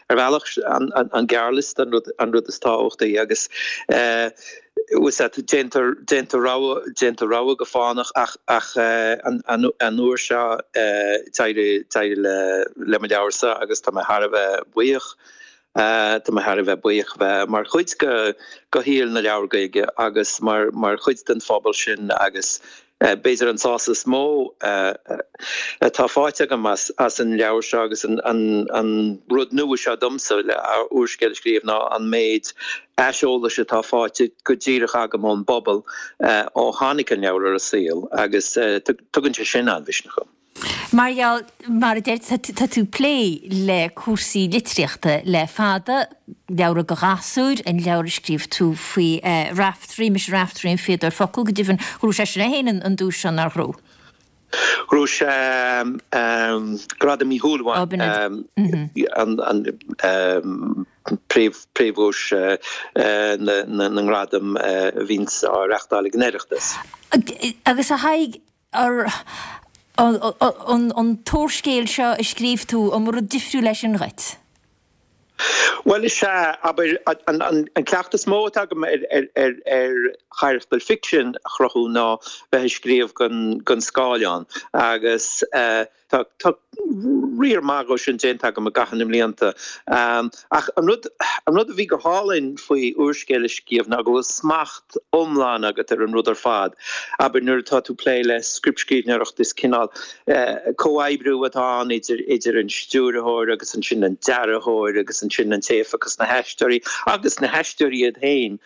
Speaker 9: ar bhealach an, an, an gearrliosta an rud, an rud is tábhachtaí agus bhfuil a fhios agat, déantar, déantar rogha, déantar rogha go fánach ach, ach an, an, an uair seo d'éirigh, d'éirigh le, le mo leabharsa agus tá mé thar a bheith buíoch. Tá mé thar a bheith buíoch bheith mar chuid de shaol na leabhar Gaeilge agus mar mar chuid den phobal sin agus b'fhéidir an sásamh is mó atá faighte agam as as an leabhar seo agus an an an rud nua seo domsa le úrscéal a scríobh ná an méid aiseolais atá faighte go díreach agam ón bpobal ó tháinig an leabhar ar an saol agus tugann sé sin an-mhisneach dom.
Speaker 1: Mar gheall, mar a deir, tá tú ag plé le cúrsaí litríochta le fada, leabhra do ghasúir, an leabhar a scríobh tú faoi Raiftearaí, Mise Raiftearaí an Fíodóir Focal, go deimhin, ghnóthaigh seisean é féin an duais seo, nár ghnóthaigh?
Speaker 9: Ghnóthaigh sé Gradam Uí Shúilleabháin, an príomhdhuais na ngradam a bhíonns á reachtáil ag an Oireachtas.
Speaker 1: Agus a Thaidhg, ar. An t-úrscéal seo a scríobh tú, an mba rud difriúil é sin dhuit?
Speaker 9: Bhuel, is ea, abair, an cleachtadh is mó atá agam ar charachtair ficsin a chruthú ná bheith ag scríobh don scáileán agus tá riar maith dhó sin déanta agam i gcaitheamh na mblianta. Ach an rud an rud a bhí go hálainn faoi úrscéal a scríobh ná go bhfuil smacht iomlán agat ar an rud ar fad. Abair, nuair atá tú ag plé le scriptscríbhneoireacht is cineál comhoibriú atá ann idir idir an stiúrthóir agus ansin an dearthóir agus ansin an té a phiocas na haisteoirí agus na haisteoirí iad féin.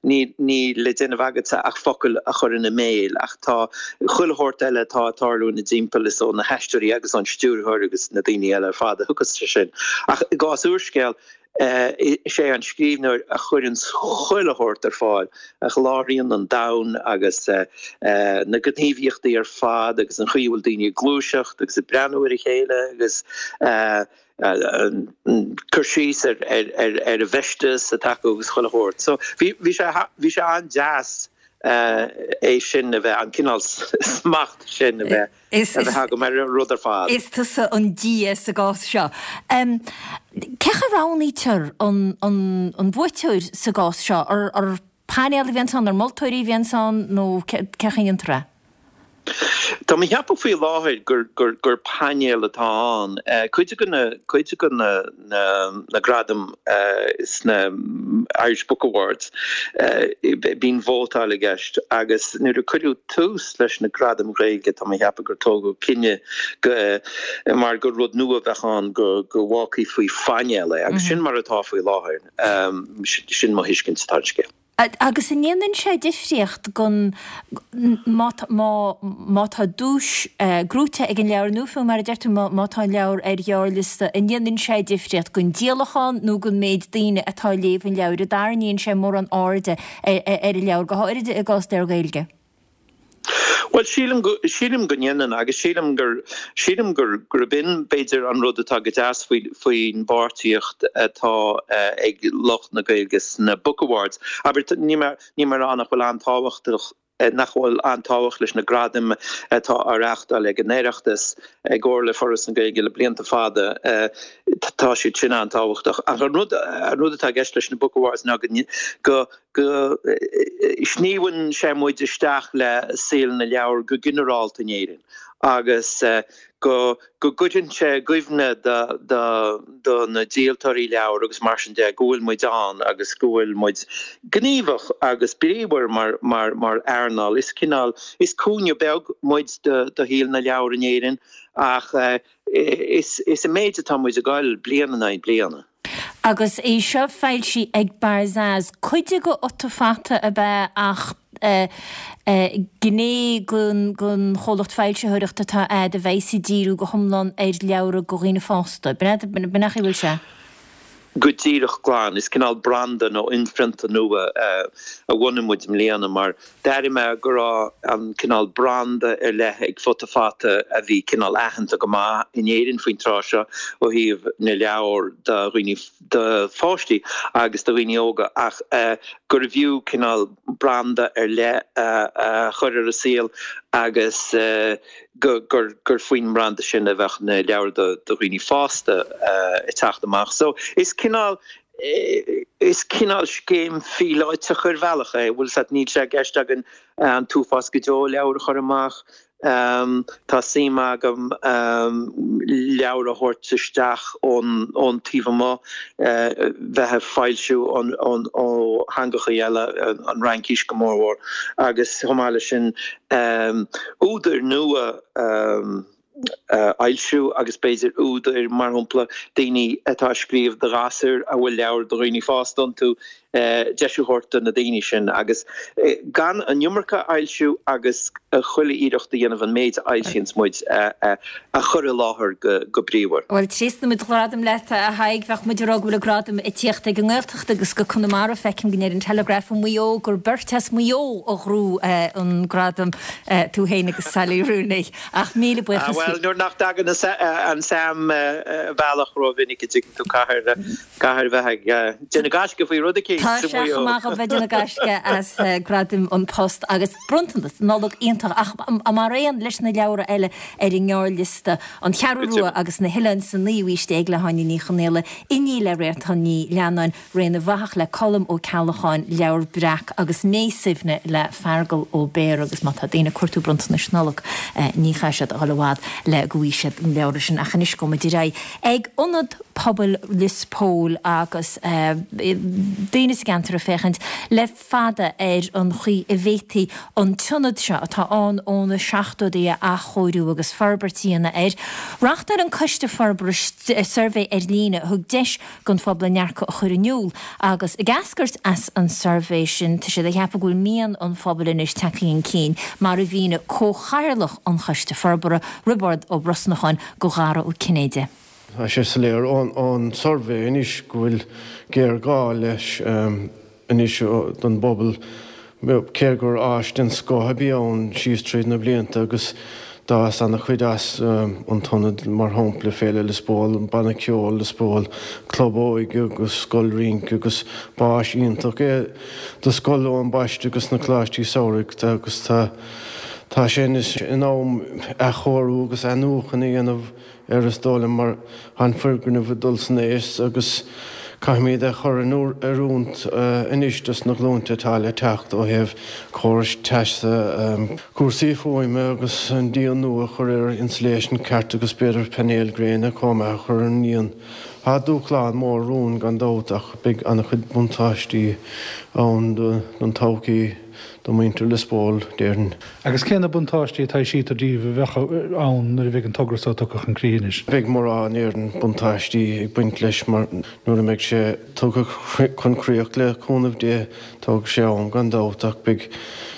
Speaker 9: Níl níl le déanamh agatsa ach focail a chur ina mbéil ach tá chuile shórt eile atá ag tarlú ina dtimpeall is ó na haisteoirí agus ón stiúrthóir agus na daoine eile ar fad a thiocfas sé sin. Ach i gcás úrscéil, is é an scríbhneoir a chuireann chuile shórt ar fáil, a sholáthraíonn an domhan agus na gníomhaíochtaí ar fad agus an chaoi a bhfuil daoine ag gluaiseacht agus ag breathnú ar a chéile agus cur síos ar an bhfeisteas atá acu agus chuile shórt. So bhí sé bhí sé an-deas é sin a bheith, an cineál smacht sin a bheith a bheith agam ar an rud ar fad.
Speaker 1: Is tusa an dia sa gcás seo. Cén chaoi a roghnaítear an buaiteoir sa gcás seo? Ar painéal a bhíonns ann, ar moltóirí a bhíonns ann nó cén chaoi a ndéantar é?
Speaker 9: Tá mé ag ceapadh faoi láthair gur gur gur painéal atá ann. Cuid de na cuid de na na na gradaim sna Irish Book Awards bíonn vótáil i gceist agus nuair a cuireadh tús leis na gradaim Ghaeilge tá mé ag ceapadh gur tógadh cinneadh go mar gur rud nua a bheadh ann go go bhfágfaí faoi phainéal é agus sin mar atá faoi láthair. Sin mo thuiscint ar an scéal.
Speaker 1: Agus an ndéanann sé difríocht gon má má tá duais gnóite ag an leabhar nó fiú mar a deir tú má tá an leabhar ar ghearrliosta, an ndéanann sé difríocht gon díolachán nó gon méid daoine atá ag léamh an leabhair? An dtarraingíonn sé mórán airde ar an leabhar, go háirithe i gcás leabhar Gaeilge?
Speaker 9: Bhuel, sílim go, sílim go ndéanann agus sílim gur, sílim gur, gurb in b'fhéidir an rud atá go deas faoi, faoin bpáirtíocht atá ag lucht na Gaeilge sna Book Awards. Abair, níl mé, níl mé ag rá nach bhfuil an-tábhachtach, nach bhfuil an-tábhacht leis na gradaim atá á reáchtáil ag an Oireachtas i gcomhar le Foras na Gaeilge le blianta fada, tá siad sin an-tábhachtach. Ach an rud, an rud atá i gceist leis na Book Awards ná go, go, go sníomhann sé muid isteach le saol na leabhar go ginearálta in Éirinn agus go go gcuireann sé i gcuimhne do do do na díoltóirí leabhar agus mar sin de go bhfuil muid ann agus go bhfuil muid gníomhach agus bríomhar mar mar mar earnáil. Is cineál, is cúinne beag muid do do shaol na leabhar in Éirinn ach is is i méid atá muid ag goil bliain in aghaidh bliana.
Speaker 1: Agus é seo foilsithe ag Barzaz, cuid de Fhuta Fata ab ea ach gné den chomhlacht foilsitheoireachta atá a'd a bheas ag díriú go hiomlán ar leabhra do dhaoine fásta. B'in an chaoi a bhfuil sé?
Speaker 9: Go díreach glan. Is cineál branda nó inphrionta nua a bhunaigh muid i mbliana mar d'airigh mé go raibh an cineál branda ar leith ag Futa Fata a bhí cineál aitheanta go maith in Éirinn faoin tráth seo ó thaobh na leabhar do dhaoine, do pháistí agus do dhaoine óga ach gurbh fhiú cineál branda ar leith a chur ar an saol agus go gur gur faoin mbranda sin a bheadh na leabhair do dhaoine fásta ag teacht amach. So is cineál is cineál scéim phíolótach ar bhealach é, bhfuil 's a't, níl sé i gceist againn an t-uafás go deo leabhar a chur amach. Tá suim agam leabhair a thabhairt isteach ón ón taobh amuigh, bheith ag foilsiú ón ón ó theangachaí eile, an Fhraincis go mórmhór, agus chomh maith leis sin údair nua a fhoilsiú agus b'fhéidir údair, mar shampla, daoine atá ag scríobh do ghasúir a bhfuil leabhair do dhaoine fásta iontu, deis a thabhairt do na daoine sin agus gan an iomarca a fhoilsiú agus chuile iarracht a dhéanamh an méid a fhoilsíonns muid a chur i láthair go bríomhar.
Speaker 1: Bhuel, tréaslaímid gradam leat, a Thaidhg. Bheadh muid ag rá go bhfuil an gradam ag tíocht ag an nGaeltacht agus go Conamara. Feicim go ndeir an Telegraph i Maigh Eo gur beirt as Maigh Eo a ghnóthaigh an gradam, tú féin agus Sally Rooney. Ach míle buíochas.
Speaker 9: Bhuel, nuair nach dtagann an sam bealach rómhinic a dtuigeann tú, caithfidh caithfidh bheith ag déanamh gaisce faoi rud eicínt.
Speaker 1: Tá sé chomh maith a bheith ag déanamh gaisce as Gradaim An Post agus bronntanas Nollag iontach ach mar aon leis na leabhra eile ar an ngearrliosta, An Cheathrú Rua agus na hOileáin sa Naoú Aois Déag le hÁine Ní Chonaola, Inní le Réaltán Ní Leannáin, Ré na bhFathach le Colm Ó Ceallacháin, Leabhar Breac agus Mé Suibhne le Feargal Ó Béarra agus má tá daoine ag cuartú bronntanais Nollag ní chaithfidh siad a dhul i bhfad le go bhfaighidh siad na leabhra sin ach anois gabhfaidh muid ar aghaidh ag Ionad Pobail Lios Póil agus daoine sa gceantar ag féachaint le fada ar an chaoi a bhféadfaí an t-ionad seo, atá ann ó na seachtóidí, a athchóiriú agus forbairt a dhéanamh air. Reáchtáil an Coiste Forbartha suirbhé ar líne a thug deis don phobal a ndearcadh a chur in iúl agus ag eascairt as an suirbhé sin tá siad ag ceapadh go bhfuil mian an phobail anois tagtha chun cinn, mar a mhínigh comhchathaoirleach an Choiste Forbartha, Roibeárd Ó Brosnacháin, do Dhara Ó Cinnéide.
Speaker 10: Tá sé soiléir ón suirbhé anois go bhfuil géarghá leis anois don bpobal, cé gur áis den scoth a bhí ann síos tríd na blianta agus d'fhás an-chuid as an t-ionad, mar shampla Féile Lios Póil, an Banna Ceoil Lios Póil, Club Óige agus Scoil Rince agus b'áis iontach é do Scoil Eoin Baiste agus na Coláistí Samhraidh agus tá tá sé anois in am athchóiriú agus athnuachan a dhéanamh air is dóigh liom mar tá an foirgneamh ag dul san aois agus caithfimid é a chur in oiriúint anois dos na glúinte atá le teacht ó thaobh córais teasa, cúrsaí fuaime agus an díon nua a chur air, insulation ceart agus b'fhéidir painéil gréine chomh maith a chur ar an ndíon. Tá dúshlán mór romhainn gan dabht ach beidh an-chuid buntáistí ann don todhchaí. do mhuintir Lios Póil, déarfainn.
Speaker 11: Agus cé na buntáistí a taibhsítear daoibh a bheadh ann nuair a bheidh an togra so tugtha chun críche anois?
Speaker 10: Beidh mórán éadan buntáistí ag baint leis mar nuair a mbeidh sé tugtha chun críoch le cúnamh Dé, tógfaidh sé am gan dabht ach beidh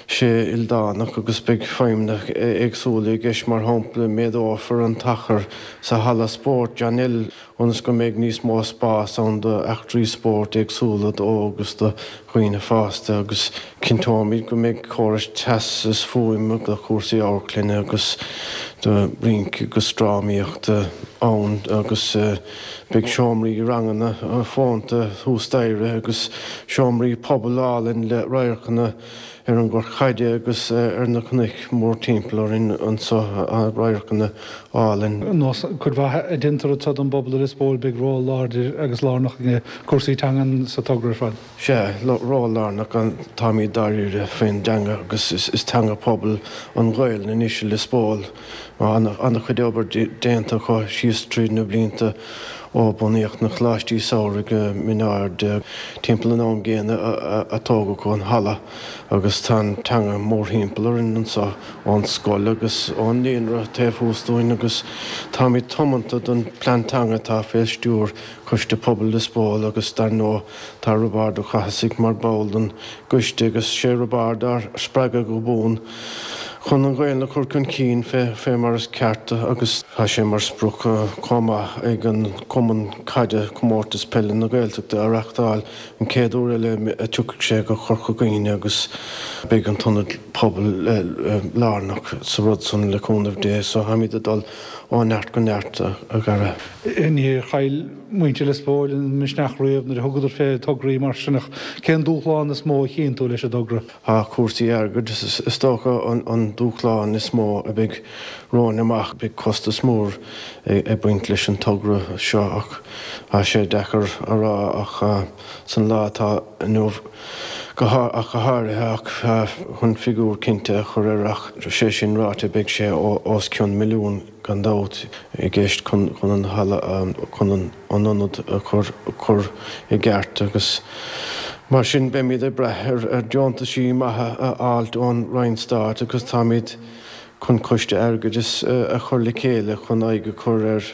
Speaker 10: sé ildánach agus beidh feidhmeanna éagsúla i gceist mar shampla méadófar an t-achar sa halla spóirt John L. ionas go mbeidh níos mó spás ann d'eachtraí spóirt éagsúla d'óg agus do dhaoine fásta agus cinnteoimid go mbeidh córais teasa is fuaime do chúrsaí amharclainne agus do rince agus drámaíochta ann agus beidh seomraí ranganna fónta thuas staighre agus seomraí pobail álainn le radharcanna ar an gcnoc caide agus ar na cnoic mórthimpeall orainn anso, radharcanna álainn.
Speaker 11: Nós cuid mhaith a deintear anso don bpobal i Lios Póil, beidh ról láidir agus lárnach ag cúrsaí teangan sa togra ar fad.
Speaker 10: Sea, ról lárnach, táimid dáiríre faoin dteanga agus is teanga pobail an Ghaelainn anois i Lios Póil. An-chuid obair déanta acu síos tríd na blianta ó bunaíodh na Coláistí Samhraidh i Mín Aird timpeall an am gcéanna a tógadh an halla agus tá an teanga mórthimpeall orainn anso ón scoil agus ón naíonra taobh thuas dúinn agus táimid tiomanta don plean teanga atá fé stiúir Coiste Pobail Lios Póil agus dar ndóigh tá Roibeárd Ó Cathasaigh mar ball den gcoiste agus sé Roibeárd ár spreagadh go buan chun an Ghaelainn a chur chun cinn fé mar is ceart agus tá sé mar sprioc chomh maith ag an gCumann Caide Comórtas Peile na Gaeltachta a reachtáil an chéad uair eile a tiocfaidh sé go Corca Dhuibhne agus beidh an t-ionad pobail lárnach sa rud san le cúnamh Dé so táimid ag dul ó neart go neart a Dhara.
Speaker 11: Níor chaill muintir Lios Póil an misneach riamh nuair a thugadar fé tograí mar sin ach cén dúshlán is mó a chíonn tú leis an dtogra?
Speaker 10: Tá cúrsaí airgid is dócha an dúshlán is mó a bheidh romhainn amach. Beidh costas mór ag baint leis an togra seo ach tá sé deacair a rá ach san lá atá inniu ach go háirithe ach chun figiúr cinnte a chur air ach sé sin ráite beidh sé os cionn milliún gan dabht i gceist chun an halla chun an ionad a chur i gceart agus Mar sin, beimid ag brath ar deontaisí maithe a fháilt ón Roinn Stáit agus táimid chun coiste airgeadais a chur le chéile chun aghaidh a chur ar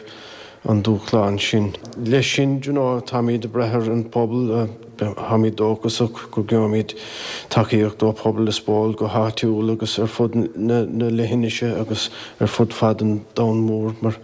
Speaker 10: an dúshlán sin. Leis sin, you know, táimid ag brath ar an bpobal, táimid dóchasach go gheobhaimid tacaíocht ó phobal Lios Póil go háitiúil agus ar fud na leithinise agus ar fud fad an domhain mhóir mar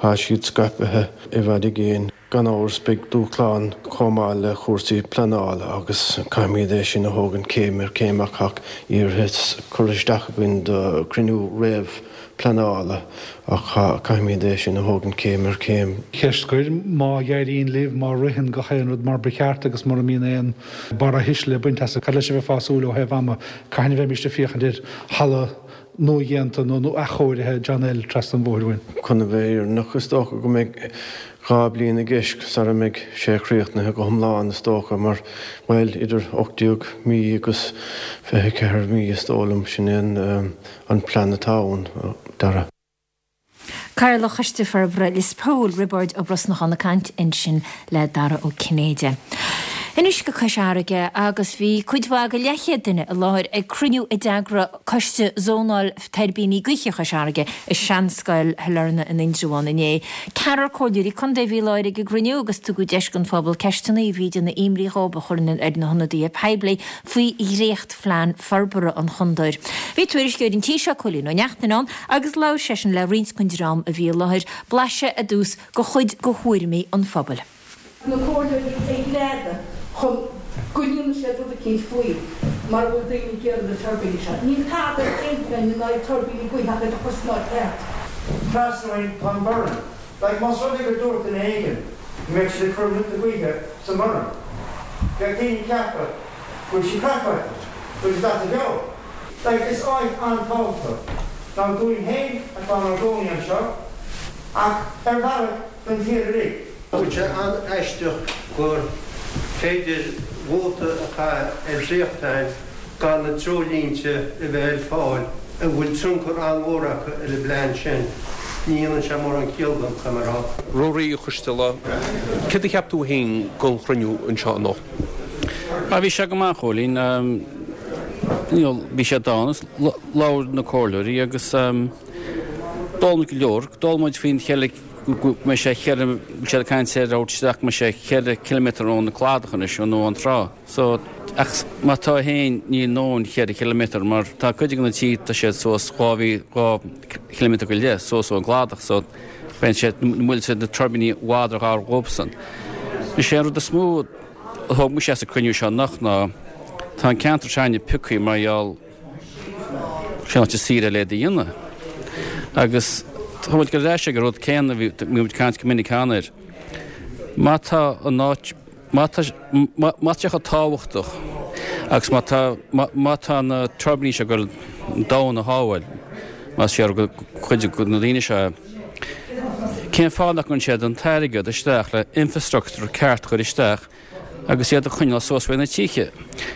Speaker 10: tá siad scaipthe i bhfad i gcéin. Gan amhras beidh dúshláin chomh maith le cúrsaí pleanála agus caithfimid é sin a thógaint céim ar chéim ach tá iarratas curtha isteach againn do chruinniú réamh pleanála ach caithfimid é sin a thógaint céim ar chéim.
Speaker 11: Ceist scoir, má éiríonn libh, má ritheann gach aon rud mar ba cheart agus mura mbíonn aon barrathuisle le baint as, cad leis a bheifeá ag súil ó thaobh ama, cathain a bheimíst ag féachaint ar halla nuadhéanta nó nó athchóirithe John L. trasna an bhóthair uainn?
Speaker 10: Chun a bheith fírinneach is dócha go mbeidh dhá bliain i gceist sara mbeidh sé críochnaithe go hiomlán is dócha mar, bhuel, idir ocht déag mí agus fiche ceathair mí is dóigh liom, sin é an plean atá ann, Dara.
Speaker 1: Cathaoirleach Choiste Forbartha Lios Póil, Roibeárd Ó Brosnacháin ag caint ansin le Dara Ó Cinnéide. Anois go Cois Fharraige agus bhí cuid mhaith de leathchéad duine i láthair ag cruinniú a d'eagraigh Coiste Zónáil Tuirbíní Gaoithe Chois Fharraige i Seanscoil Shailearna in Indreabhán inné. Ceathrar comhairleoirí contae a bhí i láthair ag an gcruinniú agus tugadh deis don phobal ceisteanna a bhí ag déanamh imní dhóibh a chur ar na hionadaithe poiblí faoi dhréachtphlean forbartha an chontae. Bhí tuairisceoir an tí seo, Cóilín Ó Neachtain ann agus labhair seisean le roinnt den dream a bhí i láthair, blaiseadh ar dtús de chuid de thuairimí an phobail.
Speaker 12: na comhairleoirí a ghreadadh chun go ndéanfaidh siad rud eicínt faoi mar a bhfuil daoine ag iarraidh na tuirbíní seo. Níl tada ar aon phlean in aghaidh tuirbíní gaoithe ach iad a chur san áit cheart.
Speaker 13: Trasna uainn tá an Burren. Like, más rud é gur dúirt duine éigin go mbeadh siad ag cur muilte gaoithe sa mBurren, bheadh daoine ag ceapadh go bhfuil sí craiceáilte, go bhfuil siad as a gceol. Like, is áit an-tábhachtach ná dúinn féin atá inár gcónaí anseo, ach ar bhealach don tír uilig.
Speaker 14: Tá sé an-aisteach gur féidir vóta a chaitheamh ar dhréachtphlean gan na treoirlínte a bheith ar fáil a bhfuil tionchar an-mhór acu ar an bplean sin. Ní dhéanann sé mórán ciall dom, caithfidh mé a rá.
Speaker 15: Ruairí Ó Coisteala, céard a cheap tú féin den chruinniú anseo anocht?
Speaker 16: Ah, bhí sé go maith, a Chóilín. You know, bhí sé dána, labhair na comhairleoirí agus d'fhoghlaim muid go leor. D'fhoghlaim muid faoin cheithre, go mbeidh sé cheithre, bhfuil siad ag caint ar thabhairt isteach go mbeidh sé cheithre chiliméadar ón cladach anois, nó ón trá. So, ach má tá féin, níl ndóthain cheithre chiliméadar mar tá cuid de na tithe, tá siad suas dhá mhí, dhá chiliméadar go leith suas ón gcladach, so beidh siad, na muilte, na tuirbíní i bhfad ar ghar dhóibhsan. Is é an rud is mó a thóg mise as an cruinniú seo anocht ná tá an ceantar s'againne pioctha mar gheall sé an áit is saoire le iad a dhéanamh. Agus tá muid ag dul ar ais ag an rud céanna a bhí muid ag caint go minic cheana air. Má tá an áit, má tá, má tá sé chomh tábhachtach agus má tá, má tá na tuirbíní seo ag dul an domhan a shábháil, más fíor do chuid de na daoine seo é, cén fáth nach gcuireann siad an t-airgead isteach le infrastructúr ceart a chur isteach agus iad a choinneáil suas faoi na tithe?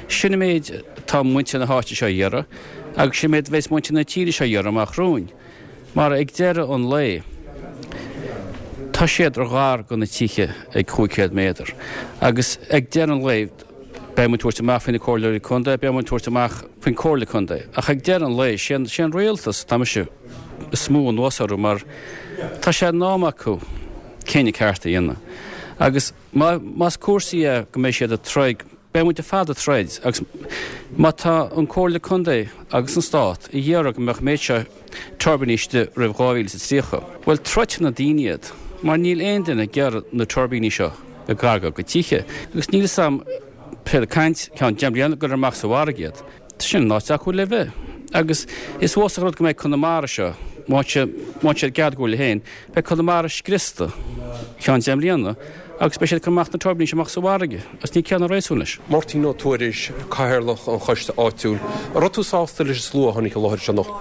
Speaker 16: Sin an méid atá muintir na háite seo a iarraidh agus sin an méid a bheas muintir na tíre seo a iarraidh amach romhainn. Mar ag deireadh an lae, tá siad ar ghar do na tithe ag cúig chéad méadar. Agus ag deireadh an lae, beidh muid ag tabhairt amach faoi na comhairleoirí contae, beidh muid ag tabhairt amach faoin comhairle contae. Ach ag deireadh an lae, sé an rialtas atá mise is mó anuas orthu mar tá sé in am acu cinneadh ceart a dhéanamh. Agus más cúrsaí é go mbeidh siad ag troid, beidh muid ar fad ag troid agus má tá an Comhairle Contae agus an Stát ag iarraidh go mbeadh an méid seo tuirbíní istigh roimh dhá mhíle is a tríocha, bhuel troidfidh na daoine iad mar níl aon duine ag iarraidh na tuirbíní seo ag gar dá gcuid tithe agus níl 'fhios a'm pé ag caint ceann deich mbliana gur amach sa bhfarraige iad. Sin an áit acu le bheith. Agus is uafásach an rud go mbeidh Conamara seo, má tá siad ceart go leor féin, beidh Conamara scriosta ceann deich mbliana agus beidh siad ag cur amach na tuirbíní seo amach sa bhfarraige agus níl ciall ná réasún leis.
Speaker 15: Máirtín Ó Tuairisg, Cathaoirleach an Choiste Áitiúil, An raibh tú sásta leis an slua a tháinig i láthair anseo anocht?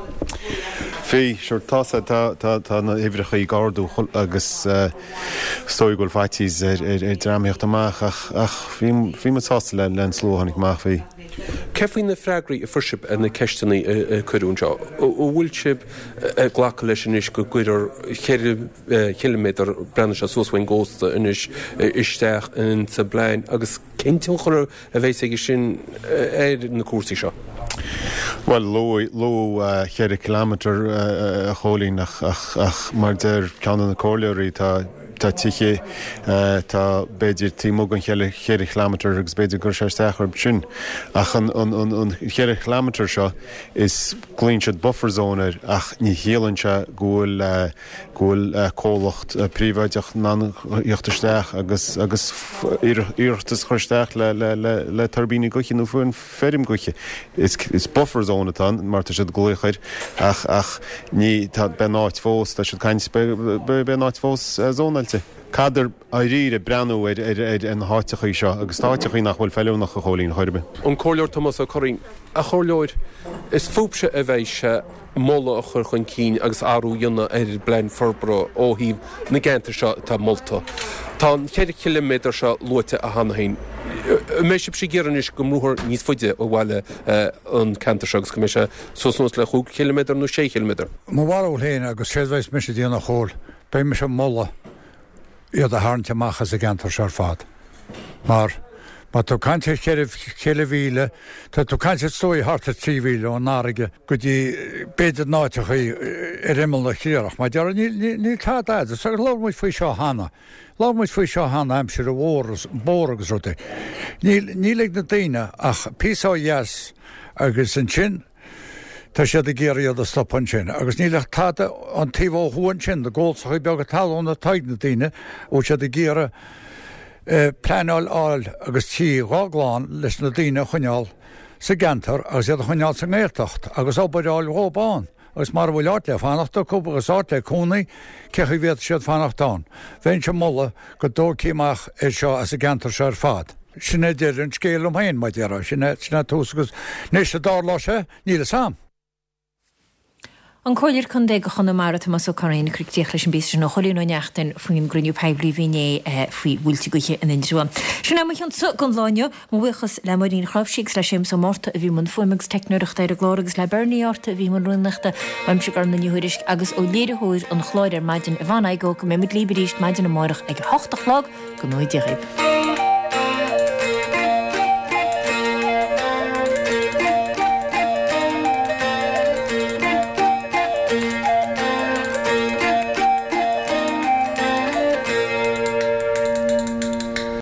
Speaker 17: Bhí, sure, tá tá tá tá na huimhreacha ag ardú agus is dóigh go bhfuil faitíos ar ar ar dream theacht amach ach ach bhí bhí muid sásta le le an slua a tháinig amach, bhí.
Speaker 15: Cé faoi na freagraí a fuair sibh ar na ceisteanna a cuireadh anseo? An bhfuil sibh ag glacadh leis anois go gcuirfear ceithre chiliméadar, breathnaíonn sé suas faoin gcósta anois, isteach insa bplean agus cén tionchar a bheas aige sin ar na cúrsaí seo?
Speaker 17: Bhuel, luadh luadh ceithre chiliméadar, a Chóilín, ach ach ach mar deir ceann de na comhairleoirí, tá tá tithe tá b'fhéidir taobh amuigh den cheithre cheithre chileamatar agus b'fhéidir go gcuirfidh sé isteach orthu sin. Ach an an an an cheithre chileamatar seo is glaonn siad buffer zone air ach ní chiallaíonn sé go bhfuil go bhfuil comhlacht príobháideach in ann theacht isteach agus agus iarratas a chur isteach le le le le tuirbíní gaoithe nó fiú an feirm gaoithe. Is is buffer zone atá ann mar tá siad ag glaoch air ach ach ní tá beidh an áit fós tá siad ag caint beidh beidh an áit fós zónáilte. Caithfear dáiríre breathnú ar ar ar na háiteachaí seo agus tá áiteachaí nach bhfuil feiliúnach a Chóilín chor ar bith.
Speaker 15: An Comhairleoir Tomás Ó Curraoin, A Chomhairleoir, is fúibhse a bheidh sé moladh a chur chun cinn agus athrú a dhéanamh ar an bplean forbartha ó thaobh na gceantar seo atá molta. Tá an ceithre chiliméadar seo luaite cheana féin. An mbeidh sibhse ag iarraidh anois go mbrúfar níos faide ó bhaile an ceantar seo agus go mbeidh sé suas anuas le chúig chiliméadar nó sé chiliméadar?
Speaker 18: Mo bharúil féin agus séard a bheas mise ag déanamh a Chóil, beidh mise ag moladh iad a tharraingt amach as an gceantar seo ar fad. Mar má tá tú ag caint ar cheithre cheithre mhíle, tá tú ag caint ar is dóigh thart ar trí mhíle ón fharraige go dtí b'fhéidir na háiteachaí ar imeall na triarach. Mar déarfá níl níl níl tada agat. Agus labhair muid faoi seo cheana. Labhair muid faoi seo cheana aimsir an bhóthair bóthar agus rudaí. Níl níl ag na daoine ach píosa ó dheas agus ansin Tá siad ag iarraidh iad a stopadh ansin agus níl ach tada an taobh ó thuaidh ansin, na gólsachaí beaga talún atá ag na daoine, a bhfuil siad ag iarraidh pleanáil a fháil agus tí dhá gclann leis na daoine a choinneáil sa gceantar agus iad a choinneáil sa nGaeltacht agus obair a fháil dhóibh ann agus mara bhfuil áit le fanacht acu agus áit le cónaí, cé chaoi a bhféadfadh siad fanacht ann? Bheinnse ag moladh go dtógfaí amach é seo as an gceantar seo ar fad. Sin é deireadh an scéil liom féin, mar a déarfá. Sin é, sin é tús agus anois an dtarlóidh sé, níl fhios a'm.
Speaker 1: An Comhairleoir Contae do Chonamara, Tomás Ó Curraoin, ag cur críoch leis an bpíosa sin ó Chóilín Ó Neachtain faoin gcruinniú poiblí a bhí inné faoi mhuilte gaoithe in Indreabhán. Sin é mo chionn-sa don lá inniu. Mo bhuíochas le Máirín Chnáimhsí agus le Séamus Ó Márta a bhí i mbun fuaime agus teicneoireachta ar an gclár agus le Bernie Árta a bhí i mbun rúnaíochta. Uaimse Gormfhlaith Ní Thuairisg agus ó léiritheoir an chláir ar maidin, Yvonne Igoe, go mbeidh muid libh arís maidin amárach ag a hocht a chlog. Go ngnóthaí Dia dhaoibh.